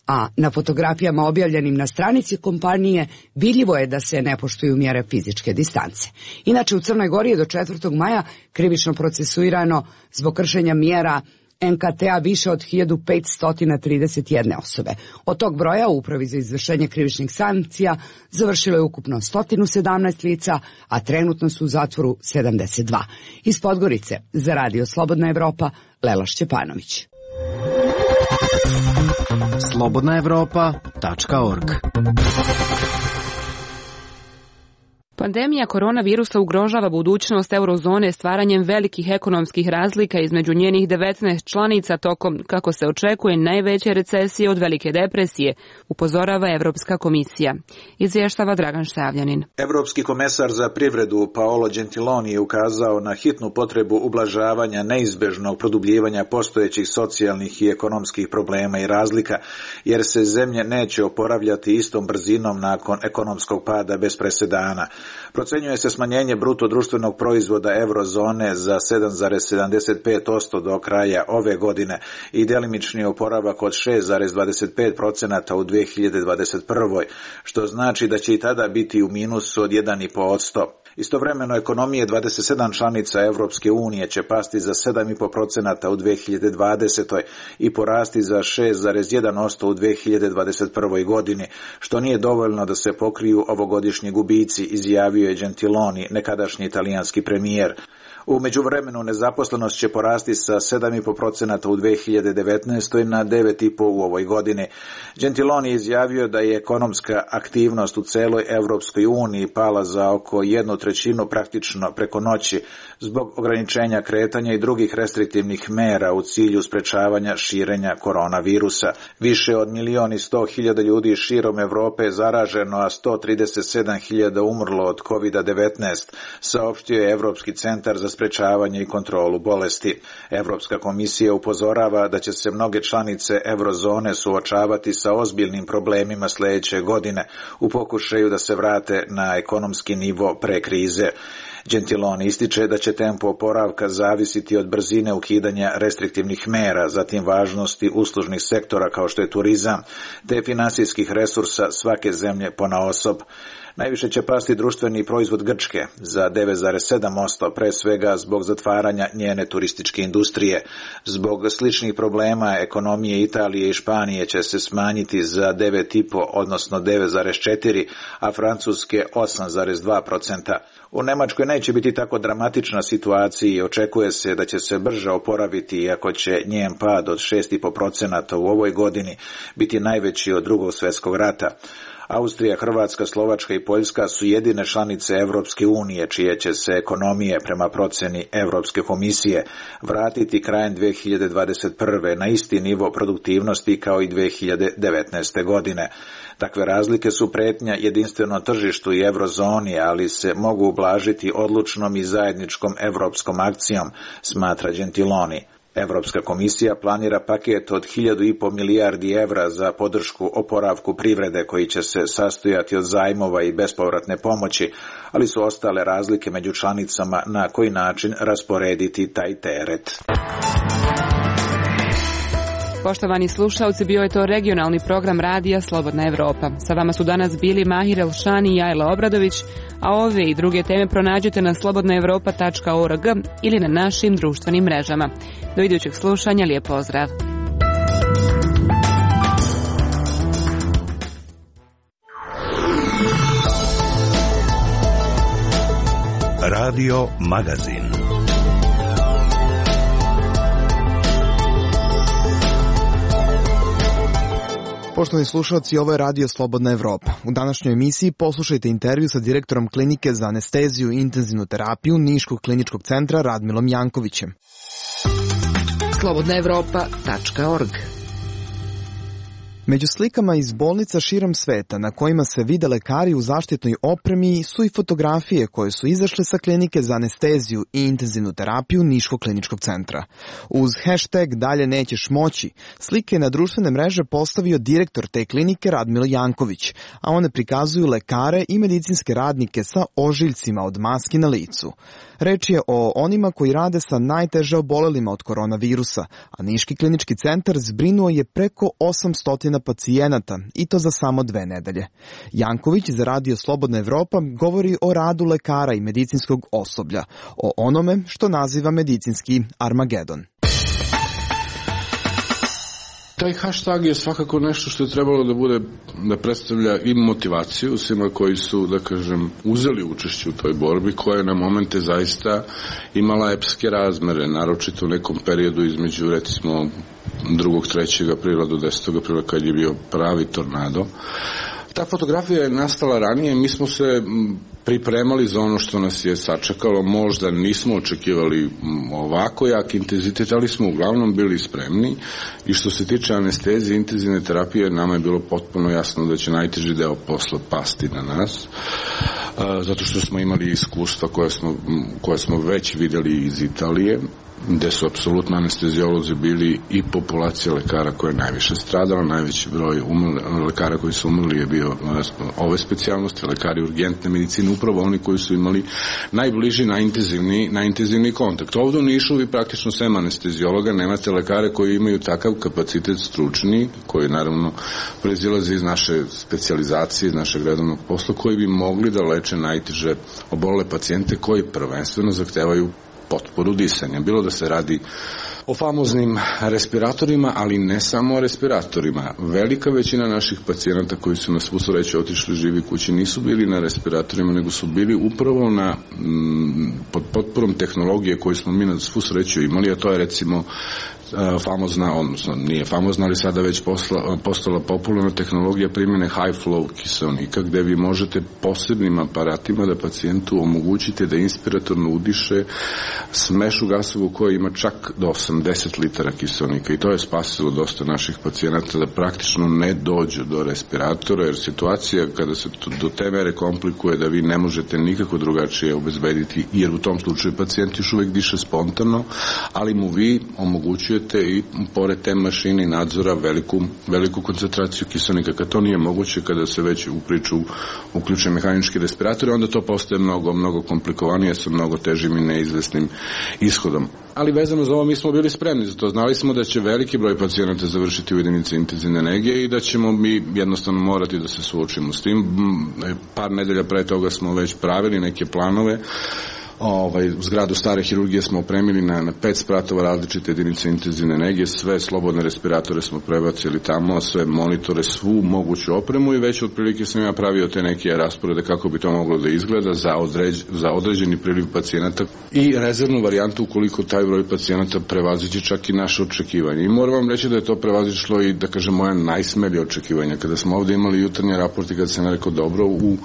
a na fotografijama objavljenim na stranici kompanije vidljivo je da se ne poštuju mjere fizičke distance. Inače, u Crnoj Gori je do četvrtog maja krivično procesuirano zbog kršenja mjera N K T-a više od hiljadu petsto trideset jedne osobe. Od tog broja u Upravi za izvršenje krivičnih sankcija završilo je ukupno sto sedamnaest lica, a trenutno su u zatvoru sedamdeset dva. Iz Podgorice za Radio Slobodna Evropa, Lela Šćepanović. slobodna evropa tačka org. Pandemija koronavirusa ugrožava budućnost eurozone stvaranjem velikih ekonomskih razlika između njenih devetnaest članica tokom, kako se očekuje, najveće recesije od velike depresije, upozorava Evropska komisija. Izvještava Dragan Štavljanin. Evropski komesar za privredu Paolo Gentiloni je ukazao na hitnu potrebu ublažavanja neizbežnog produbljivanja postojećih socijalnih i ekonomskih problema i razlika, jer se zemlje neće oporavljati istom brzinom nakon ekonomskog pada bez presedana. Procenjuje se smanjenje bruto društvenog proizvoda eurozone za sedam zarez sedamdeset pet posto do kraja ove godine i delimični oporavak od šest zarez dvadeset pet posto u dve hiljade dvadeset prvoj, što znači da će i tada biti u minusu od jedan zarez pet posto. Istovremeno, ekonomije dvadeset sedam članica Evropske unije će pasti za sedam zarez pet posto u dve hiljade dvadesetoj i porasti za šest zarez jedan posto u dve hiljade dvadeset prvoj godini, što nije dovoljno da se pokriju ovogodišnji gubici, izjavio je Gentiloni, nekadašnji italijanski premijer. U međuvremenu nezaposlenost će porasti sa sedam zarez pet posto u dve hiljade devetnaestoj na devet zarez pet posto u ovoj godini. Gentiloni je izjavio da je ekonomska aktivnost u celoj Evropskoj uniji pala za oko jednu trećinu praktično preko noći zbog ograničenja kretanja i drugih restriktivnih mera u cilju sprečavanja širenja koronavirusa. Više od milion i sto hiljada ljudi širom Evrope je zaraženo, a sto trideset sedam hiljada umrlo od kovid devetnaest, saopštio je Evropski centar za sprečavanje i kontrolu bolesti. Evropska komisija upozorava da će se mnoge članice eurozone suočavati sa ozbiljnim problemima sljedeće godine u pokušaju da se vrate na ekonomski nivo pre krize. Gentiloni ističe da će tempo oporavka zavisiti od brzine ukidanja restriktivnih mera, zatim važnosti uslužnih sektora kao što je turizam, te finansijskih resursa svake zemlje ponaosob. Najviše će pasti društveni proizvod Grčke za devet zarez sedam posto, pre svega zbog zatvaranja njene turističke industrije. Zbog sličnih problema ekonomije Italije i Španije će se smanjiti za devet zarez pet posto, odnosno devet zarez četiri posto, a Francuske osam zarez dva posto. U Nemačkoj neće biti tako dramatična situacija i očekuje se da će se brže oporaviti, iako će njen pad od šest zarez pet posto u ovoj godini biti najveći od drugog svjetskog rata. Austrija, Hrvatska, Slovačka i Poljska su jedine članice Evropske unije čije će se ekonomije prema proceni Evropske komisije vratiti krajem dve hiljade dvadeset prve na isti nivo produktivnosti kao i dve hiljade devetnaeste. godine. Takve razlike su pretnja jedinstvenom tržištu i eurozoni, ali se mogu ublažiti odlučnom i zajedničkom evropskom akcijom, smatra Gentiloni. Evropska komisija planira paket od hiljadu i po milijardi evra za podršku oporavku privrede koji će se sastojati od zajmova i bespovratne pomoći, ali su ostale razlike među članicama na koji način rasporediti taj teret. Poštovani slušalci, bio je to regionalni program radija Slobodna Evropa. Sa vama su danas bili Mahir Elšani i Ajla Obradović, a ove i druge teme pronađete na slobodna evropa tačka org ili na našim društvenim mrežama. Do idućeg slušanja, lijep pozdrav. Radio Magazin. Poštovani slušalci, ovo je Radio Slobodna Evropa. U današnjoj emisiji poslušajte intervju sa direktorom Klinike za anesteziju i intenzivnu terapiju Niškog kliničkog centra Radmilom Jankovićem. slobodna evropa tačka org. Među slikama iz bolnica širom sveta na kojima se vide lekari u zaštitnoj opremi su i fotografije koje su izašle sa Klinike za anesteziju i intenzivnu terapiju Niškog kliničkog centra. Uz hashtag Dalje nećeš moći, slike na društvene mreže postavio direktor te klinike Radmilo Janković, a one prikazuju lekare i medicinske radnike sa ožiljcima od maski na licu. Reč je o onima koji rade sa najteže obolelima od koronavirusa, a Niški klinički centar zbrinuo je preko osamsto pacijenata i to za samo dve nedelje. Janković za Radio Slobodna Evropa govori o radu lekara i medicinskog osoblja, o onome što naziva medicinski Armagedon. Taj hashtag je svakako nešto što je trebalo da bude, da predstavlja i motivaciju svima koji su, da kažem, uzeli učešće u toj borbi, koja je na momente zaista imala epske razmere, naročito u nekom periodu između, recimo, drugog, trećeg aprila do desetog aprila, kad je bio pravi tornado. Ta fotografija je nastala ranije, mi smo se pripremali za ono što nas je sačekalo, možda nismo očekivali ovako jak intenzitet, ali smo uglavnom bili spremni i što se tiče anestezije i intenzivne terapije, nama je bilo potpuno jasno da će najteži deo posla pasti na nas, zato što smo imali iskustva koje smo, koje smo već vidjeli iz Italije, gde su apsolutno anestezijolozi bili i populacija lekara koja je najviše stradala, najveći broj umrli, lekara koji su umrli je bio ove specijalnosti, lekari urgentne medicine, upravo oni koji su imali najbliži na intenzivni, na intenzivni kontakt. Ovdje u Nišu vi praktično sem anestezijologa nemate lekare koji imaju takav kapacitet stručni, koji naravno proizilaze iz naše specijalizacije, iz našeg redovnog posla, koji bi mogli da leče najteže obolele pacijente koji prvenstveno zahtevaju potporu disanja. Bilo da se radi o famoznim respiratorima, ali ne samo o respiratorima. Velika većina naših pacijenata koji su na svu sreću otišli živi kući nisu bili na respiratorima, nego su bili upravo na m, pod potporom tehnologije koju smo mi na svu sreću imali, a to je recimo famozna, odnosno nije famozna, ali sada već posla, postala popularna tehnologija primjene high flow kiseonika, gde vi možete posebnim aparatima da pacijentu omogućite da inspiratorno udiše smešu gasovu koja ima čak do osamdeset litara kiseonika, i to je spasilo dosta naših pacijenata da praktično ne dođu do respiratora, jer situacija kada se do te mere komplikuje da vi ne možete nikako drugačije obezbediti, jer u tom slučaju pacijent još uvek diše spontano, ali mu vi omogućujete i pored te mašine i nadzora veliku, veliku koncentraciju kiselnika. Kad to nije moguće, kada se već u priču uključe mehanički respiratori, onda to postaje mnogo, mnogo komplikovanije sa mnogo težim i neizvesnim ishodom. Ali vezano za ovo mi smo bili spremni za to. Znali smo da će veliki broj pacijenata završiti u jedinici intenzivne nege i da ćemo mi jednostavno morati da se suočimo s tim. Par nedelja pre toga smo već pravili neke planove Ovaj, zgradu stare hirurgije smo opremili na, na pet spratova različite jedinice intenzivne nege, sve slobodne respiratore smo prebacili tamo, sve monitore, svu moguću opremu i već otprilike sam ja pravio te neke rasporede kako bi to moglo da izgleda za, određ, za određeni priliv pacijenata i rezervnu varijantu ukoliko taj broj pacijenata prevaziđe čak i naše očekivanje. I moram vam reći da je to prevazišlo i da kažem moja najsmelja očekivanja. Kada smo ovde imali jutarnji raport i kada sam rekao dobro, u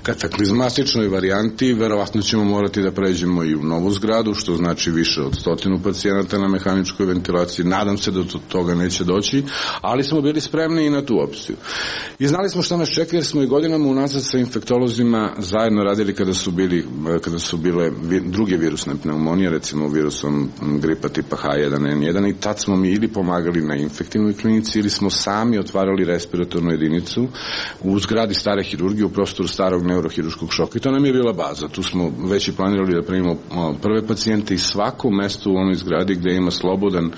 kataklizmatičnoj varijanti verovatno ćemo morati da pređemo i u novu zgradu, što znači više od stotinu pacijenata na mehaničkoj ventilaciji. Nadam se da do toga neće doći, ali smo bili spremni i na tu opciju. I znali smo šta nas čeka jer smo i godinama unazad sa infektolozima zajedno radili kada su bili, kada su bile druge virusne pneumonije, recimo virusom gripa tipa H jedan N jedan, i tad smo mi ili pomagali na infektivnoj klinici ili smo sami otvarali respiratornu jedinicu u zgradi stare hirurgije u prostoru starog neurohirurškog šoka i to nam je bila baza. Tu smo već i planirali da primimo prve pacijente i svako mesto u onoj zgradi gde ima slobodan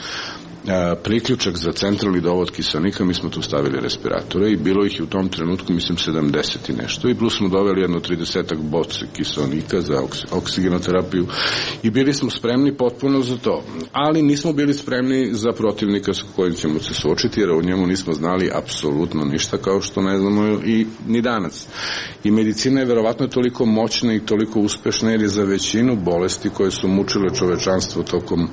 priključak za centralni dovod kiselnika, mi smo tu stavili respiratore i bilo ih je u tom trenutku, mislim, sedamdeset i nešto i plus smo doveli jedno tridesetak boce kiselnika za oksigenoterapiju i bili smo spremni potpuno za to, ali nismo bili spremni za protivnika sa kojim ćemo se suočiti jer o njemu nismo znali apsolutno ništa, kao što ne znamo i ni danas. I medicina je verovatno toliko moćna i toliko uspešna jer je za većinu bolesti koje su mučile čovečanstvo tokom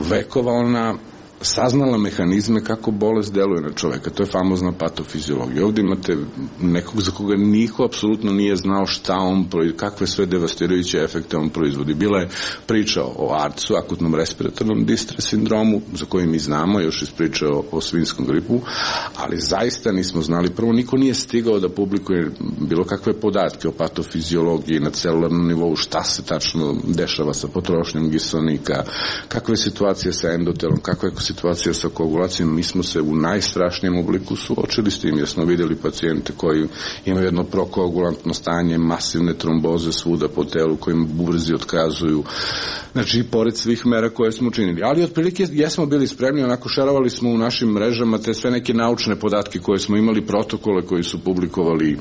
vekova ona saznala mehanizme kako bolest deluje na čoveka. To je famozna patofiziologija. Ovdje imate nekog za koga niko apsolutno nije znao šta on, kakve sve devastirajuće efekte on proizvodi. Bila je priča o A R D S-u, akutnom respiratornom distres sindromu, za koji mi znamo, još iz priče o, o svinskom gripu, ali zaista nismo znali. Prvo, niko nije stigao da publikuje bilo kakve podatke o patofiziologiji na celularnom nivou, šta se tačno dešava sa potrošnjom kiselnika, kakve situacije sa endotelom, kakve situacija sa koagulacijom. Mi smo se u najstrašnijem obliku suočili s tim, jer smo vidjeli pacijente koji imaju jedno prokoagulantno stanje, masivne tromboze svuda po telu, kojim bubrezi otkazuju. Znači, pored svih mera koje smo učinili. Ali otprilike jesmo bili spremni, onako šerovali smo u našim mrežama te sve neke naučne podatke koje smo imali, protokole koji su publikovali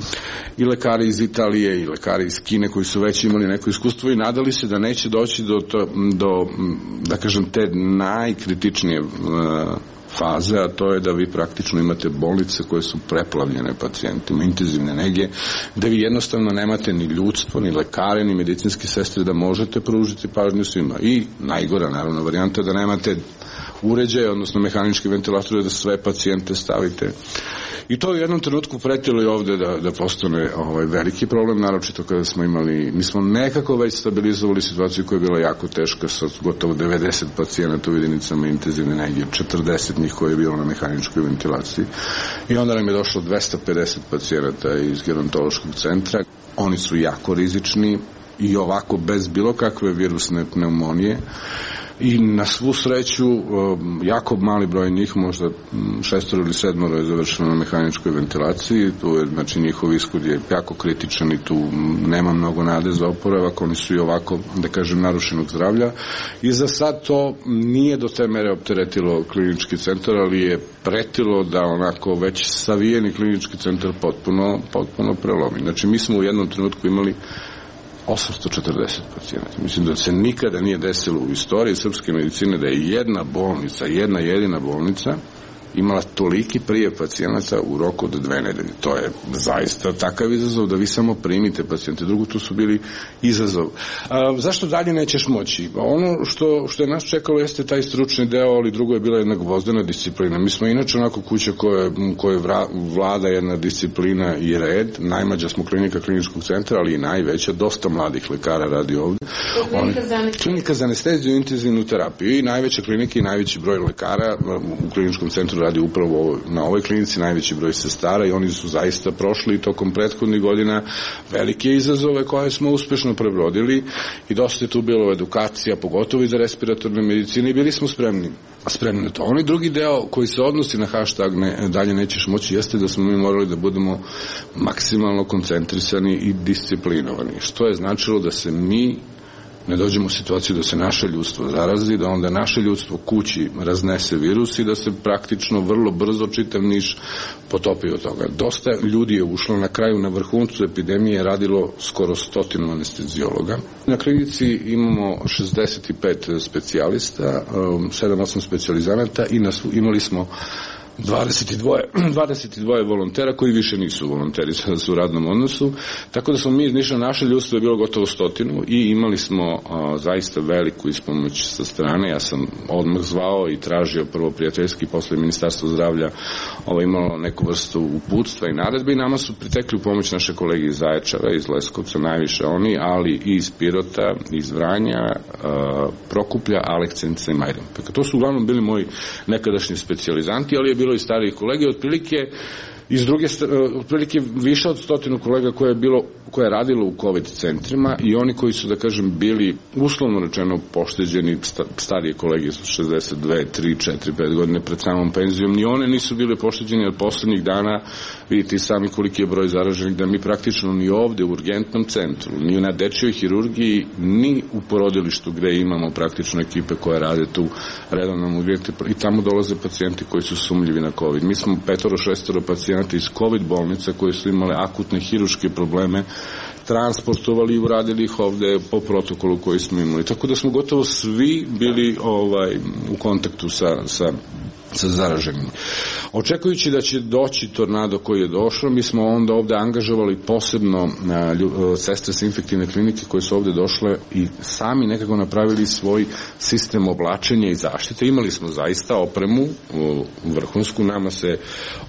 i lekari iz Italije i lekari iz Kine koji su već imali neko iskustvo i nadali se da neće doći do, to, do da kažem, te najkritičnije faze, a to je da vi praktično imate bolnice koje su preplavljene pacijentima, intenzivne nege, da vi jednostavno nemate ni ljudstvo, ni lekare, ni medicinske sestre da možete pružiti pažnju svima. I najgora, naravno, varijanta da nemate uređaje, odnosno mehanički ventilatore da sve pacijente stavite. I to u jednom trenutku pretilo i ovde da, da postane ovaj, veliki problem, naročito kada smo imali, mi smo nekako već stabilizovali situaciju koja je bila jako teška sa gotovo devedeset pacijenata u jedinicama intenzivne nege, četrdeset njih koje je bilo na mehaničkoj ventilaciji. I onda nam je došlo dvesta pedeset pacijenata iz gerontološkog centra. Oni su jako rizični i ovako bez bilo kakve virusne pneumonije. I na svu sreću jako mali broj njih, možda šestoro ili sedmoro je završeno na mehaničkoj ventilaciji, tu je, znači, njihov ishod je jako kritičan i tu nema mnogo nade za oporavak, oni su i ovako, da kažem, narušenog zdravlja i za sad to nije do te mere opteretilo klinički centar, ali je pretilo da onako već savijeni klinički centar potpuno, potpuno prelomi. Znači, mi smo u jednom trenutku imali osamsto četrdeset pacijenata. Mislim da se nikada nije desilo u istoriji srpske medicine da je jedna bolnica, jedna jedina bolnica imala toliki prijev pacijenata u roku od dve nedelje. To je zaista takav izazov da vi samo primite pacijente. Drugo, tu su bili izazov. A, zašto dalje nećeš moći? Ono što, što je nas čekalo jeste taj stručni deo, ali drugo je bila jedna gvozdena disciplina. Mi smo inače onako kuća koje, koje vra, vlada jedna disciplina i red. Najmlađa smo klinika kliničkog centra, ali i najveća. Dosta mladih lekara radi ovde. Oni, klinika za anesteziju i intenzivnu terapiju. I najveća klinika i najveći broj lekara u kliničkom centru radi upravo na ovoj klinici, najveći broj sestara i oni su zaista prošli tokom prethodnih godina velike izazove koje smo uspešno prebrodili i dosta je tu bilo edukacija, pogotovo i za respiratorne medicine i bili smo spremni. spremni na to. Onaj drugi deo koji se odnosi na hashtag ne, dalje nećeš moći jeste da smo mi morali da budemo maksimalno koncentrisani i disciplinovani, što je značilo da se mi ne dođemo u situaciju da se naše ljudstvo zarazi, da onda naše ljudstvo kući raznese virus i da se praktično vrlo brzo čitav Niš potopi od toga. Dosta ljudi je ušlo na kraju, na vrhuncu epidemije radilo skoro stotinu anestezijologa. Na klinici imamo šezdeset pet specijalista, sedam osam specijalizanata i imali smo dvadeset dvoje, dvadeset dvoje volontera koji više nisu volonteri, sada su u radnom odnosu, tako da smo mi iz Niša, naše ljudstvo je bilo gotovo stotinu i imali smo a, zaista veliku ispomoć sa strane. Ja sam odmah zvao i tražio prvo prijateljski, posle Ministarstvo zdravlja ovo imalo neku vrstu uputstva i naredbe i nama su pritekli u pomoć naše kolege iz Zaječara, iz Leskovca, najviše oni, ali i iz Pirota, iz Vranja, a, Prokuplja, Aleksinca i Majdanpeka. To su uglavnom bili moji nekadašnji specijalizanti, ali je bilo i stariji kolege, otprilike iz druge, otprilike više od stotinu kolega koje je bilo, koje je radilo u COVID centrima i oni koji su, da kažem, bili uslovno rečeno pošteđeni, starije kolege su šezdeset dve, tri, četiri, pet godine pred samom penzijom, ni one nisu bili pošteđeni, jer poslednjih dana vidite i sami koliki je broj zaraženih, da mi praktično ni ovde u urgentnom centru, ni na dečjoj hirurgiji, ni u porodilištu gde imamo praktično ekipe koje rade tu redovno urgente i tamo dolaze pacijenti koji su sumljivi na COVID. Mi smo petoro, šestoro pacijenta iz COVID bolnica koje su imale akutne hiruške probleme transportovali i uradili ih ovde po protokolu koji smo imali. Tako da smo gotovo svi bili ovaj, u kontaktu sa, sa sa zaraženim. Očekujući da će doći tornado koji je došao, mi smo onda ovde angažovali posebno a, lju, sestre sa infektivne klinike koje su ovde došle i sami nekako napravili svoj sistem oblačenja i zaštite. Imali smo zaista opremu u vrhunsku, nama se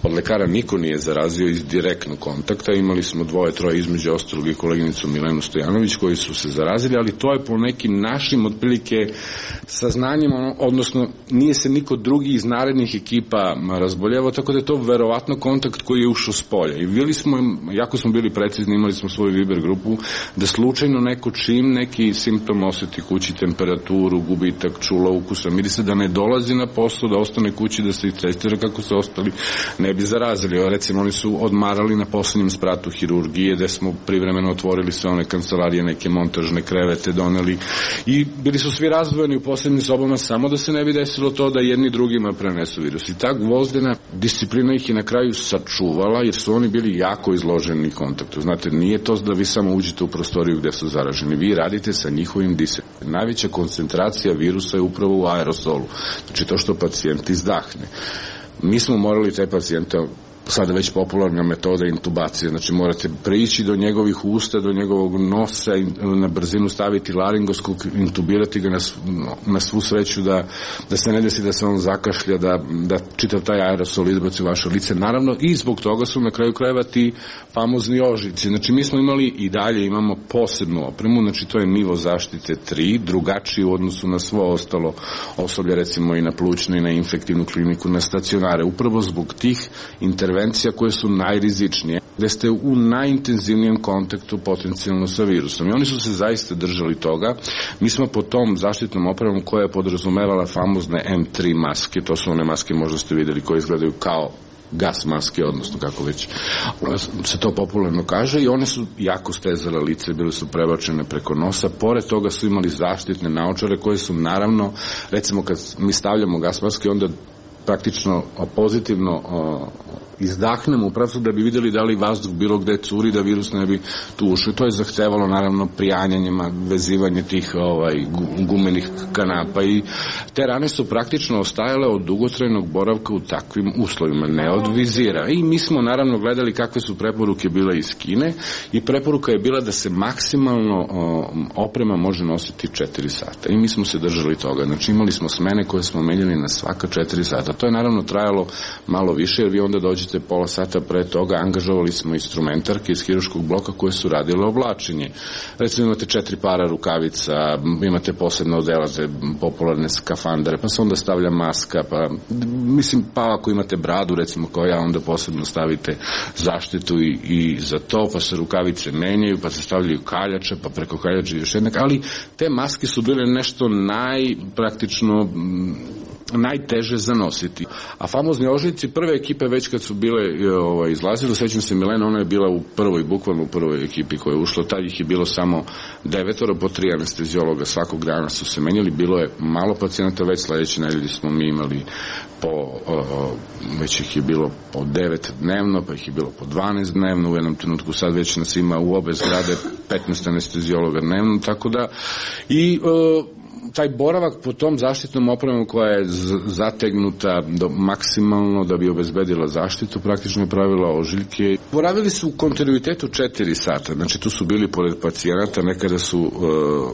od lekara niko nije zarazio iz direktnog kontakta, imali smo dvoje, troje između ostalog i koleginicu Milenu Stojanović koji su se zarazili, ali to je po nekim našim otprilike saznanjima, odnosno nije se niko drugi iz narednih ekipa razboljevao, tako da je to verovatno kontakt koji je ušao s polja. I bili smo, jako smo bili precizni, imali smo svoju Viber grupu, da slučajno neko čim neki simptom osjeti kući, temperaturu, gubitak čula, ukusa, mirisa, da ne dolazi na posao, da ostane kući, da se i testira kako se ostali ne bi zarazili. Recimo, oni su odmarali na poslednjem spratu hirurgije, gde smo privremeno otvorili sve one kancelarije, neke montažne krevete doneli i bili su svi razdvojeni u posebnim sobama samo da se ne bi desilo to da jedni drugima prenesu virus. I ta gvozdena disciplina ih je na kraju sačuvala, jer su oni bili jako izloženi kontaktu. Znate, nije to da vi samo uđete u prostoriju gde su zaraženi. Vi radite sa njihovim disanjem. Najveća koncentracija virusa je upravo u aerosolu. Znači to što pacijent izdahne. Mi smo morali te pacijente, sada već popularna metoda intubacije, znači morate prići do njegovih usta, do njegovog nosa i na brzinu staviti laringoskop, intubirati ga na, na svu sreću da, da se ne desi da se on zakašlja, da, da čitav taj aerosol izbaci u vaše lice. Naravno i zbog toga su na kraju krajeva ti famozni ožiljci. Znači mi smo imali i dalje imamo posebnu opremu, znači to je nivo zaštite tri, drugačiji u odnosu na svo ostalo osoblje, recimo i na plućnu i na infektivnu kliniku, na stacionare, upravo zbog tih intervencija koje su najrizičnije, gde ste u najintenzivnijem kontaktu potencijalno sa virusom. I oni su se zaista držali toga. Mi smo po tom zaštitnom opremom koja je podrazumevala famozne em tri maske, to su one maske, možda ste videli, koje izgledaju kao gas maske, odnosno kako već se to popularno kaže, i one su jako stezale lice, bile su prebačene preko nosa. Pored toga su imali zaštitne naočare koje su naravno, recimo kad mi stavljamo gas maske, onda praktično pozitivno izdahnemo u pravcu da bi videli da li vazduh bilo gde curi, da virus ne bi tu ušao. To je zahtevalo naravno prijanjanjima, vezivanje tih ovaj, gumenih kanapa i te rane su praktično ostajale od dugotrajnog boravka u takvim uslovima, ne od vizira. I mi smo naravno gledali kakve su preporuke bile iz Kine i preporuka je bila da se maksimalno o, oprema može nositi četiri sata. I mi smo se držali toga. Znači imali smo smene koje smo menjali na svaka četiri sata. To je naravno trajalo malo više, jer vi onda dođete pola sata pre toga, angažovali smo instrumentarke iz hiruškog bloka koje su radile oblačenje. Recimo imate četiri para rukavica, imate posebno odela za popularne skafandere, pa se onda stavlja maska, pa mislim, pa ako imate bradu, recimo kao ja, onda posebno stavite zaštitu i, i za to, pa se rukavice menjaju, pa se stavljaju kaljače, pa preko kaljače još jednak, ali te maske su bile nešto najpraktično najteže zanositi. A famozni ožiljci prve ekipe već kad su bile ovaj, izlazile, sećam se Milena, ona je bila u prvoj, bukvalno u prvoj ekipi koja je ušla, tad ih je bilo samo devetoro, po tri anestezijologa svakog dana su se menjali, bilo je malo pacijenata, već sledeće nedelje smo mi imali po, o, već ih je bilo po devet dnevno, pa ih je bilo po dvanaest dnevno, u jednom trenutku sad već nas ima u obe zgrade petnaest anestezijologa dnevno, tako da i o, taj boravak po tom zaštitnom opremom koja je zategnuta do maksimalno da bi obezbedila zaštitu, praktično je pravila ožiljke. Boravili su u kontinuitetu četiri sata, znači tu su bili pored pacijenata, nekada su uh,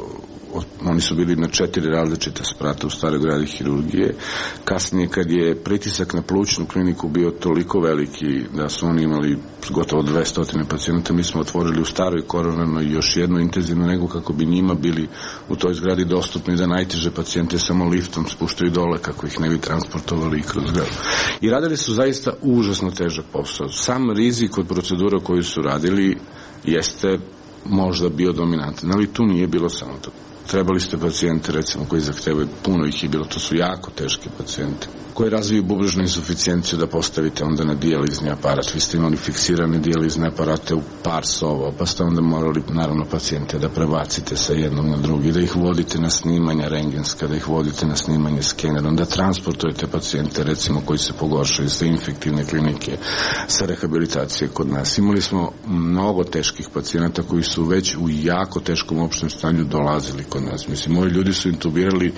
oni su bili na četiri različite sprata u staroj gradi hirurgije. Kasnije kad je pritisak na plućnu kliniku bio toliko veliki da su oni imali gotovo dvesta pacijenata, mi smo otvorili u staroj koronarnoj još jednu intenzivnu nego kako bi njima bili u toj zgradi dostupni da najteže pacijente samo liftom spuštaju dole kako ih ne bi transportovali i kroz zgradu. I radili su zaista užasno težak posao. Sam rizik od procedura koju su radili jeste možda bio dominantan, ali tu nije bilo samo to. Trebali ste pacijente, recimo, koji zahtevaju, puno ih je bilo, to su jako teški pacijenti, koji razviju bubrežnu insuficijenciju da postavite onda na dijalizni aparat. Vi ste imali fiksirane dijalizne aparate u par sova, pa ste onda morali, naravno, pacijente da prebacite sa jednog na drugi, da ih vodite na snimanja rengenska, da ih vodite na snimanje skenerom, da transportujete pacijente, recimo, koji se pogoršaju sa infektivne klinike, sa rehabilitacije kod nas. Imali smo mnogo teških pacijenata koji su već u jako teškom opštem stanju dolazili kod nas. Mislim, moji ljudi su intubirali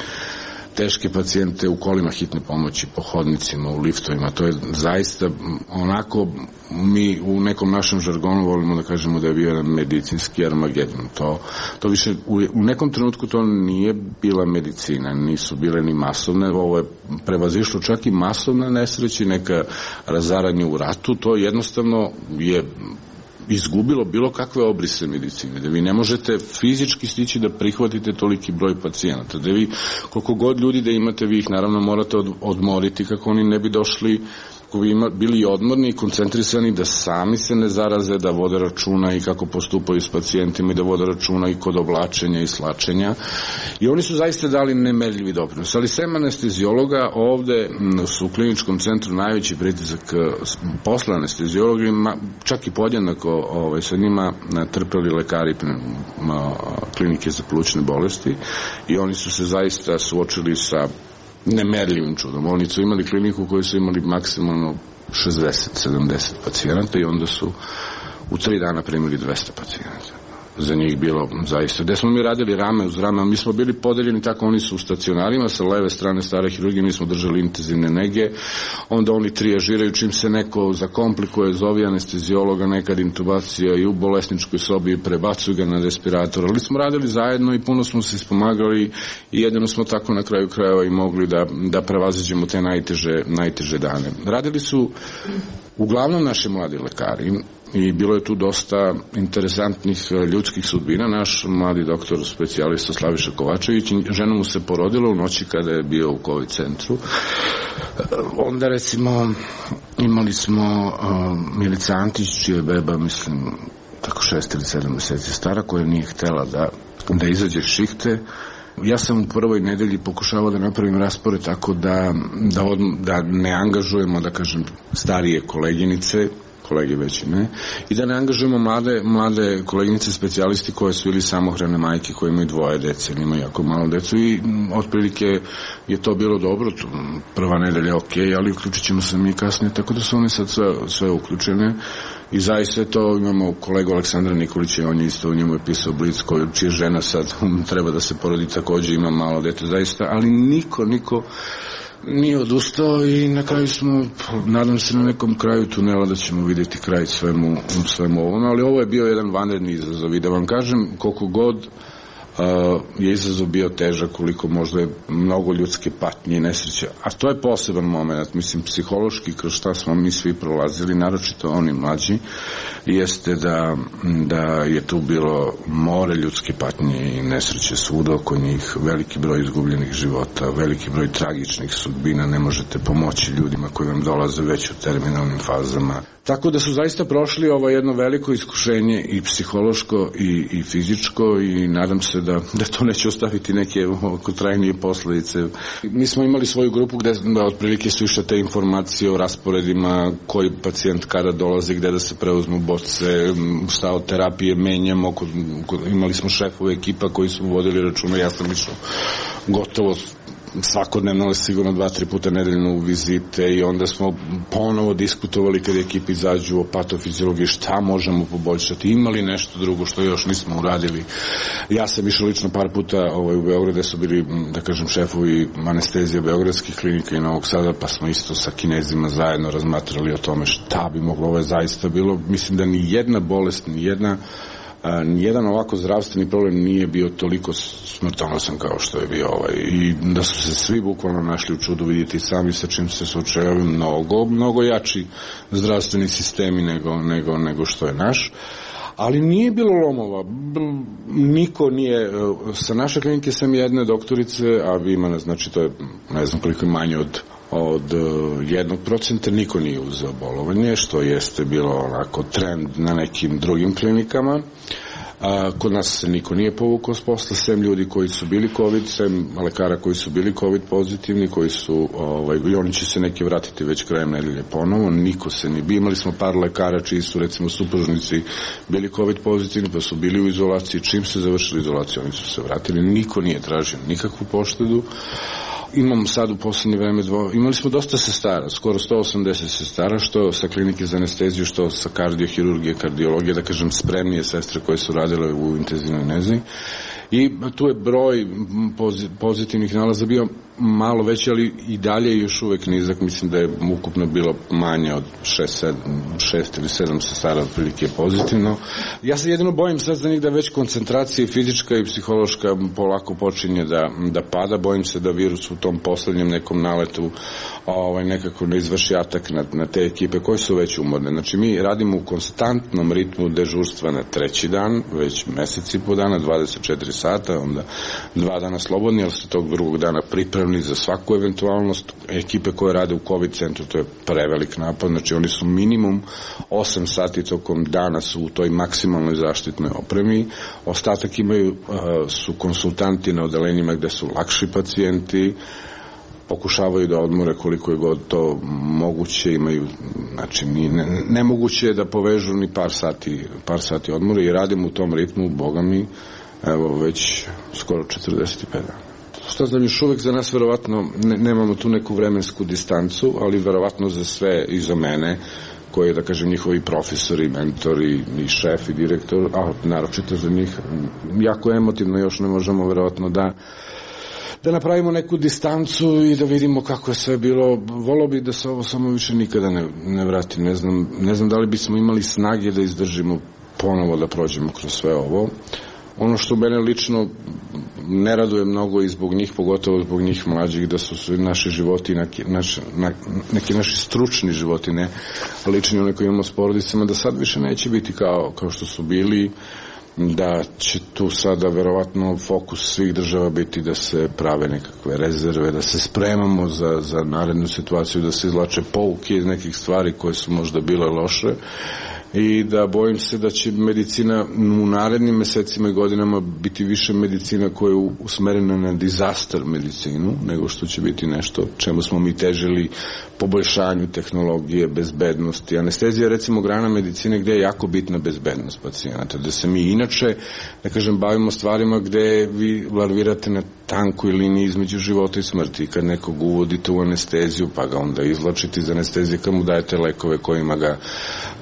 teške pacijente u kolima hitne pomoći, po hodnicima, u liftovima. To je zaista onako, mi u nekom našem žargonu volimo da kažemo da je bio jedan medicinski armagedon. To, to više, u, u nekom trenutku to nije bila medicina, nisu bile ni masovne, ovo je prevazišlo čak i masovna nesreća, neka razaranje u ratu, to jednostavno je izgubilo bilo kakve obrise medicine, da vi ne možete fizički stići da prihvatite toliki broj pacijenata, da vi koliko god ljudi da imate, vi ih naravno morate od, odmoriti kako oni ne bi došli, kako bi ima, bili odmorni i koncentrisani da sami se ne zaraze, da vode računa i kako postupaju s pacijentima i da vode računa i kod oblačenja i slačenja. I oni su zaista dali nemerljivi doprinos. Ali sem anestezijologa, ovde su u kliničkom centru najveći pritisak posle anestezijologa, čak i podjednako ovaj, sa njima trpeli lekari klinike za plućne bolesti i oni su se zaista suočili sa nemerljivim čudom. Oni su imali kliniku koju su imali maksimalno šezdeset sedamdeset pacijenata i onda su u tri dana primili dvesta pacijenata. Za njih bilo zaista. Gde smo mi radili rame uz rame, mi smo bili podeljeni tako, oni su u stacionarima, sa leve strane stare hirurgije, mi smo držali intenzivne nege, onda oni trijažiraju, čim se neko zakomplikuje, zove anestezijologa, nekad intubacija i u bolesničkoj sobi prebacuju ga na respirator, ali smo radili zajedno i puno smo se ispomagali i jedino smo tako na kraju krajeva i mogli da, da prevaziđemo te najteže, najteže dane. Radili su uglavnom naši mladi lekari i bilo je tu dosta interesantnih ljudskih sudbina. Naš mladi doktor specijalista Slaviša Kovačević, žena mu se porodila u noći kada je bio u COVID centru. Onda recimo imali smo uh, Milica Antić, čija je beba, mislim, tako šest ili sedam meseci stara, koja nije htela da, da izađe šihte. Ja sam u prvoj nedelji pokušavao da napravim raspored tako da, da, od, da ne angažujemo, da kažem, starije koleginice, kolege već ne, i da ne angažujemo mlade, mlade koleginice specijalisti koje su ili samohrane majke koje imaju dvoje dece ili imaju jako malo decu i m, otprilike je to bilo dobro, prva nedelja je ok, ali uključit ćemo se mi kasnije, tako da su one sad sve, sve uključene i zaista to imamo kolegu Aleksandra Nikolića, on je isto, u njemu je pisao Blic, koju, čija žena sad treba da se porodi, takođe ima malo dete zaista, ali niko, niko nije odustao i na kraju smo, nadam se na nekom kraju tunela da ćemo vidjeti kraj svemu, svemu ovom, ali ovo je bio jedan vanredni izazov i da vam kažem koliko god uh, je izazov bio težak, koliko možda je mnogo ljudske patnje i nesreće, a to je poseban moment, mislim psihološki kroz šta smo mi svi prolazili, naročito oni mlađi, jeste da, da je tu bilo more ljudske patnje i nesreće svuda oko njih, veliki broj izgubljenih života, veliki broj tragičnih sudbina, ne možete pomoći ljudima koji vam dolaze već u terminalnim fazama. Tako da su zaista prošli ovo jedno veliko iskušenje i psihološko i, i fizičko i nadam se da, da to neće ostaviti neke trajnije posledice. Mi smo imali svoju grupu gde da, otprilike su išle te informacije o rasporedima, koji pacijent kada dolazi, gde da se preuzmu boce, šta od terapije menjamo, kod, kod, imali smo šefove ekipa koji su vodili računa, ja sam išao gotovo svakodnevno, ali sigurno dva, tri puta nedeljno u vizite i onda smo ponovo diskutovali kad ekipi izađu o patofiziologiji šta možemo poboljšati, imali nešto drugo što još nismo uradili. Ja sam išao lično par puta ovaj, u Beograd gde su bili, da kažem, šefovi anestezije beogradskih klinika i Novog Sada, pa smo isto sa Kinezima zajedno razmatrali o tome šta bi moglo ovo je zaista bilo. Mislim da ni jedna bolest, ni jedna A, nijedan ovako zdravstveni problem nije bio toliko smrtonosan kao što je bio ovaj i da su se svi bukvalno našli u čudu, vidjeti sami sa čim se suočavaju, mnogo, mnogo jači zdravstveni sistemi nego, nego, nego što je naš. Ali nije bilo lomova, niko nije, sa naše klinike sam jedne doktorice, a vi ima, znači to je, ne znam koliko je manje od od jednog procenta, niko nije uzeo bolovanje, što jeste bilo onako trend na nekim drugim klinikama. A, kod nas se niko nije povukao s posla, sem ljudi koji su bili COVID, sem lekara koji su bili COVID pozitivni, koji su, ovaj, i oni će se neki vratiti već krajem nedelje ponovo, niko se ni bi, imali smo par lekara čiji su recimo supružnici bili COVID pozitivni, pa su bili u izolaciji, čim se završili izolaciju, oni su se vratili, niko nije tražio nikakvu poštedu. Imamo sad u poslednje vreme dvo, imali smo dosta sestara, skoro sto osamdeset sestara, što sa klinike za anesteziju, što sa kardiohirurgije, kardiologije, da kažem spremnije sestre koje su radile u intenzivnoj nezi. I tu je broj pozitivnih nalaza bio malo veći, ali i dalje još uvek nizak. Mislim da je ukupno bilo manje od šest ili sedam sestara otprilike pozitivno. Ja se jedino bojim sad za njih da već koncentracija fizička i psihološka polako počinje da, da pada. Bojim se da virus u tom poslednjem nekom naletu ovaj, nekako ne izvrši atak na, na te ekipe koje su već umorne. Znači mi radimo u konstantnom ritmu dežurstva na treći dan, već meseci po dana, dvadeset četiri sata, onda dva dana slobodni, ali ste tog drugog dana pripravni za svaku eventualnost. Ekipe koje rade u COVID centru, to je prevelik napad, znači oni su minimum osam sati tokom dana su u toj maksimalnoj zaštitnoj opremi, ostatak imaju, su konsultanti na odelenjima gde su lakši pacijenti, pokušavaju da odmore koliko je god to moguće, imaju, znači ne, nemoguće je da povežu ni par sati, par sati odmora i radimo u tom ritmu, boga mi, evo već skoro četrdeset pet dana. Šta znam, još uvek za nas verovatno ne, nemamo tu neku vremensku distancu, ali verovatno za sve i za mene, koji, da kažem, njihovi profesori, mentori i šef i direktor, a naročito za njih, jako emotivno još ne možemo verovatno da da napravimo neku distancu i da vidimo kako je sve bilo. Volao bih da se ovo samo više nikada ne, ne vrati. Ne znam, ne znam da li bismo imali snage da izdržimo ponovo da prođemo kroz sve ovo. Ono što mene lično ne raduje mnogo i zbog njih, pogotovo zbog njih mlađih, da su svi naši životi, neki naši, neki naši stručni životi, ne lični, one koji imamo s porodicama, da sad više neće biti kao, kao što su bili, da će tu sada verovatno fokus svih država biti da se prave nekakve rezerve, da se spremamo za, za narednu situaciju, da se izlače pouke iz nekih stvari koje su možda bile loše i da bojim se da će medicina u narednim mesecima i godinama biti više medicina koja je usmerena na disaster medicinu, nego što će biti nešto čemu smo mi težili, poboljšanju tehnologije, bezbednosti. Anestezija je recimo grana medicine gde je jako bitna bezbednost pacijenata, da se mi inače, da kažem, bavimo stvarima gde vi larvirate na tankoj liniji između života i smrti. Kad nekog uvodite u anesteziju, pa ga onda izlačite iz anestezije, kad mu dajete lekove kojima ga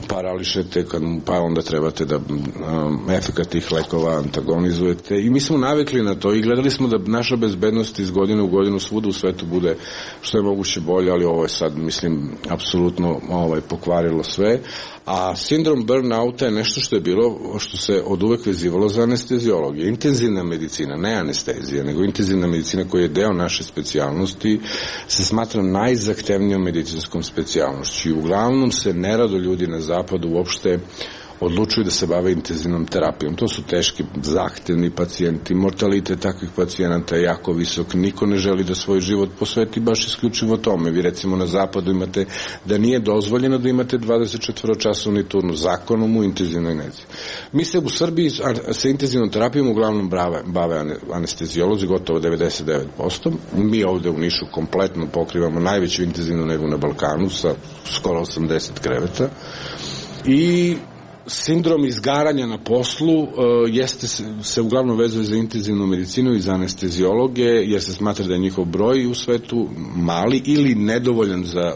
parališete, kad mu, pa onda trebate da um, efekat tih lekova antagonizujete. I mi smo navikli na to i gledali smo da naša bezbednost iz godine u godinu svuda u svetu bude što je moguće bolje, ali ovo je sad, mislim, apsolutno ovaj, pokvarilo sve. A sindrom burnouta je nešto što je bilo, što se od uvek vezivalo za anestezijologiju. Intenzivna medicina, ne anestezija, nego intenzivna medicina koja je deo naše specijalnosti, se smatra najzahtevnijom medicinskom specijalnošću. I uglavnom se nerado ljudi na zapadu uopšte odlučuju da se bave intenzivnom terapijom. To su teški, zahtevni pacijenti, mortalitet takvih pacijenata je jako visok, niko ne želi da svoj život posveti baš isključivo tome. Vi recimo na zapadu imate da nije dozvoljeno da imate dvadeset četiri časovni turnu zakonom u intenzivnoj nezi. Mi se u Srbiji sa intenzivnom terapijom uglavnom bave, bave anestezijolozi, gotovo devedeset devet posto. Mi ovde u Nišu kompletno pokrivamo najveću intenzivnu negu na Balkanu sa skoro osamdeset kreveta. I sindrom izgaranja na poslu uh, jeste se, se uglavnom vezuje za intenzivnu medicinu i za anestezijologe, jer se smatra da je njihov broj u svetu mali ili nedovoljan za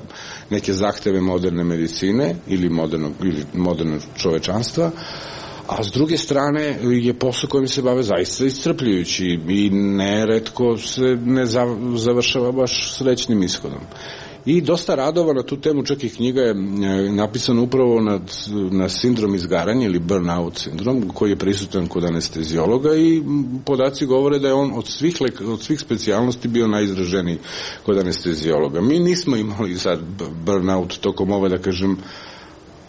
neke zahteve moderne medicine ili modernog, ili modernog čovečanstva. A s druge strane je posao kojim se bave zaista iscrpljujući i neretko se ne završava baš srećnim ishodom. I dosta radova na tu temu, čak i knjiga je napisana upravo nad, na sindrom izgaranja ili burnout sindrom, koji je prisutan kod anestezijologa i podaci govore da je on od svih, od svih specijalnosti bio najizraženiji kod anestezijologa. Mi nismo imali sad burnout tokom ove, da kažem,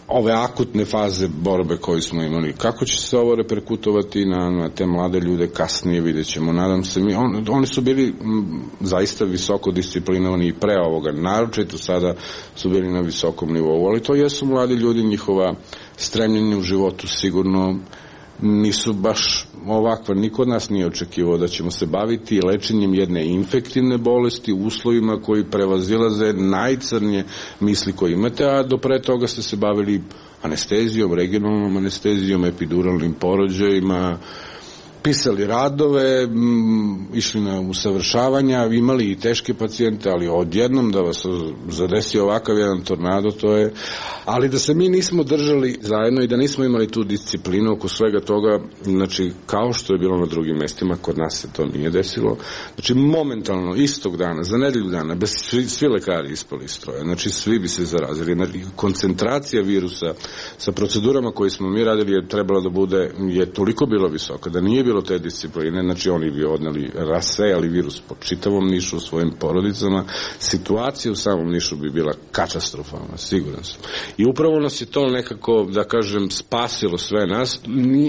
ove akutne faze borbe koje smo imali. Kako će se ovo reperkutovati na, na te mlade ljude kasnije, vidjet ćemo. Nadam se, mi, on, oni su bili m, zaista visoko disciplinovani i pre ovoga, naročito sada su bili na visokom nivou, ali to jesu mladi ljudi, njihova stremljenja u životu sigurno nisu baš ovakva. Niko od nas nije očekivao da ćemo se baviti lečenjem jedne infektivne bolesti u uslovima koji prevazilaze najcrnje misli koje imate, a do pre toga ste se bavili anestezijom, regionalnom anestezijom, epiduralnim porođajima, pisali radove, m, išli na usavršavanja, imali i teške pacijente, ali odjednom da vas zadesi ovakav jedan tornado, to je... Ali da se mi nismo držali zajedno i da nismo imali tu disciplinu oko svega toga, znači, kao što je bilo na drugim mestima, kod nas se to nije desilo. Znači, momentalno, istog dana, za nedelju dana, bez svi, svi lekari ispali iz stroja, znači, svi bi se zarazili. Znači, koncentracija virusa sa procedurama koje smo mi radili je trebala da bude, je toliko bilo visoka, da nije bilo te discipline, znači oni bi odneli, rasejali virus po čitavom Nišu, u svojim porodicama, situacija u samom Nišu bi bila katastrofalna, siguran sam. I upravo nas je to nekako, da kažem, spasilo sve nas,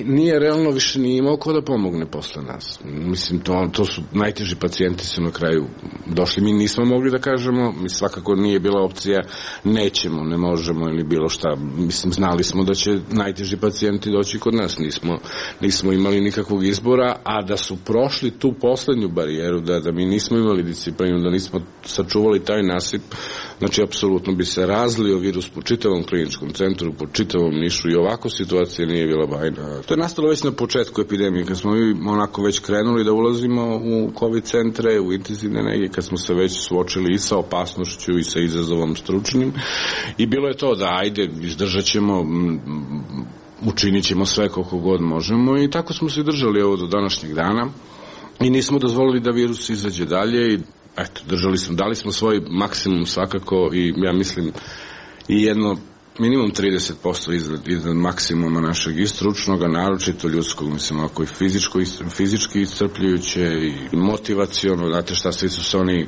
nije realno više nije imao ko da pomogne posle nas. Mislim, to, to su najteži pacijenti su na kraju došli, mi nismo mogli da kažemo, mi svakako nije bila opcija, nećemo, ne možemo ili bilo šta, mislim, znali smo da će najteži pacijenti doći kod nas, nismo, nismo imali nikakvog izbora, a da su prošli tu poslednju barijeru, da, da mi nismo imali disciplinu, da nismo sačuvali taj nasip, znači, apsolutno bi se razlio virus po čitavom kliničkom centru, po čitavom Nišu i ovako situacija nije bila bajna. To je nastalo već na početku epidemije, kad smo mi onako već krenuli da ulazimo u COVID centre, u intenzivne nege, kad smo se već suočili i sa opasnošću i sa izazovom stručnim i bilo je to da ajde, izdržat ćemo, učinit ćemo sve koliko god možemo i tako smo se držali ovo do današnjeg dana i nismo dozvolili da virus izađe dalje i eto, držali smo, dali smo svoj maksimum svakako i ja mislim i jedno minimum trideset posto iznad, iznad maksimuma našeg i stručnog, a naročito ljudskog, mislim, ako i fizičko, fizički iscrpljujuće i motivaciono, znate šta, svi su se oni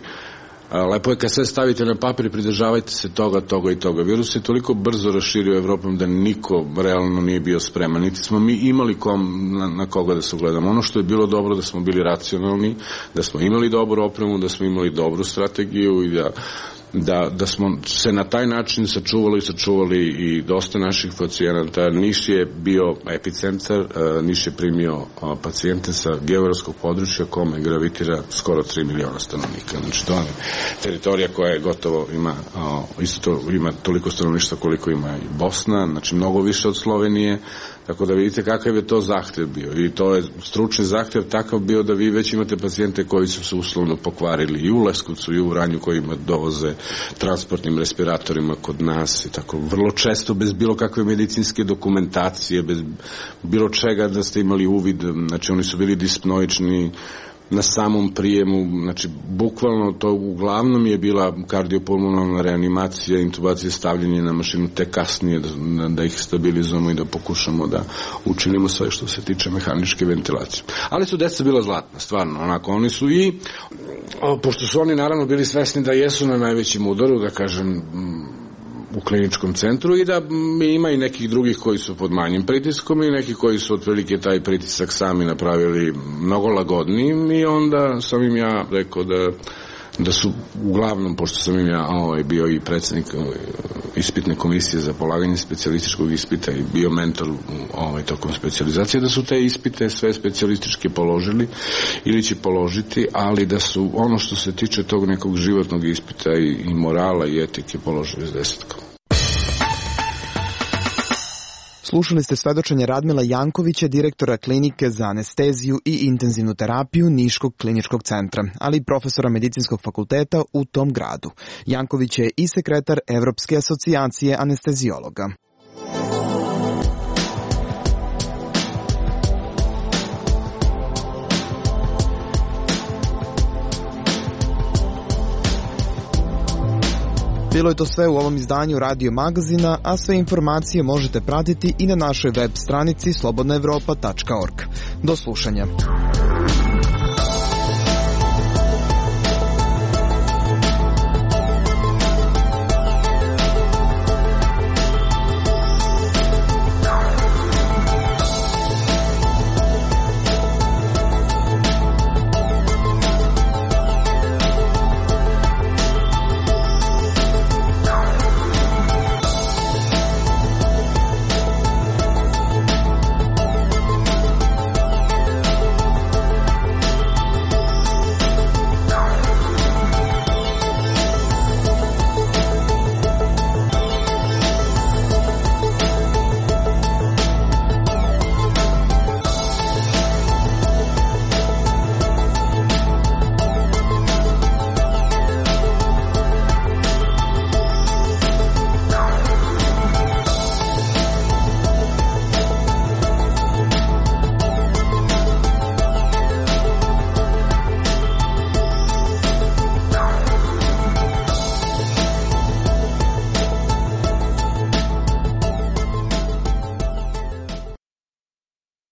lepo je kad sve stavite na papir i pridržavajte se toga, toga i toga. Virus je toliko brzo raširio Evropom da niko realno nije bio spreman. Niti smo mi imali kom, na, na koga da se ugledamo. Ono što je bilo dobro da smo bili racionalni, da smo imali dobru opremu, da smo imali dobru strategiju i da Da, da smo se na taj način sačuvali i sačuvali i dosta naših pacijenata. Niš je bio epicentar, Niš je primio pacijente sa geografskog područja kome gravitira skoro tri miliona stanovnika. Znači to je teritorija koja je gotovo ima, isto ima toliko stanovništva koliko ima i Bosna, znači mnogo više od Slovenije. Tako da vidite kakav je to zahtev bio i to je stručni zahtev takav bio da vi već imate pacijente koji su se uslovno pokvarili i u Leskovcu i u Vranju kojima dovoze transportnim respiratorima kod nas i tako vrlo često bez bilo kakve medicinske dokumentacije, bez bilo čega da ste imali uvid, znači oni su bili dispnoični na samom prijemu, znači bukvalno to uglavnom je bila kardiopulmonalna reanimacija, intubacija, stavljanje na mašinu, te kasnije da, da ih stabilizujemo i da pokušamo da učinimo sve što se tiče mehaničke ventilacije. Ali su deca bila zlatna, stvarno, onako, oni su i, pošto su oni naravno bili svesni da jesu na najvećem udaru, da kažem, kliničkom centru i da ima i nekih drugih koji su pod manjim pritiskom i neki koji su otprilike taj pritisak sami napravili mnogo lagodnijim i onda sam im ja rekao da da su uglavnom, pošto sam im ja ovaj, bio i predsjednik ispitne komisije za polaganje specijalističkog ispita i bio mentor ovaj, tokom specijalizacije, da su te ispite sve specijalističke položili ili će položiti, ali da su ono što se tiče tog nekog životnog ispita i, i morala i etike položili s desetkom. Slušali ste svedočenje Radmila Jankovića, direktora klinike za anesteziju i intenzivnu terapiju Niškog kliničkog centra, ali i profesora medicinskog fakulteta u tom gradu. Janković je i sekretar Evropske asocijacije anestezijologa. Bilo je to sve u ovom izdanju Radio Magazina, a sve informacije možete pratiti i na našoj web stranici slobodna evropa tačka org. Do slušanja.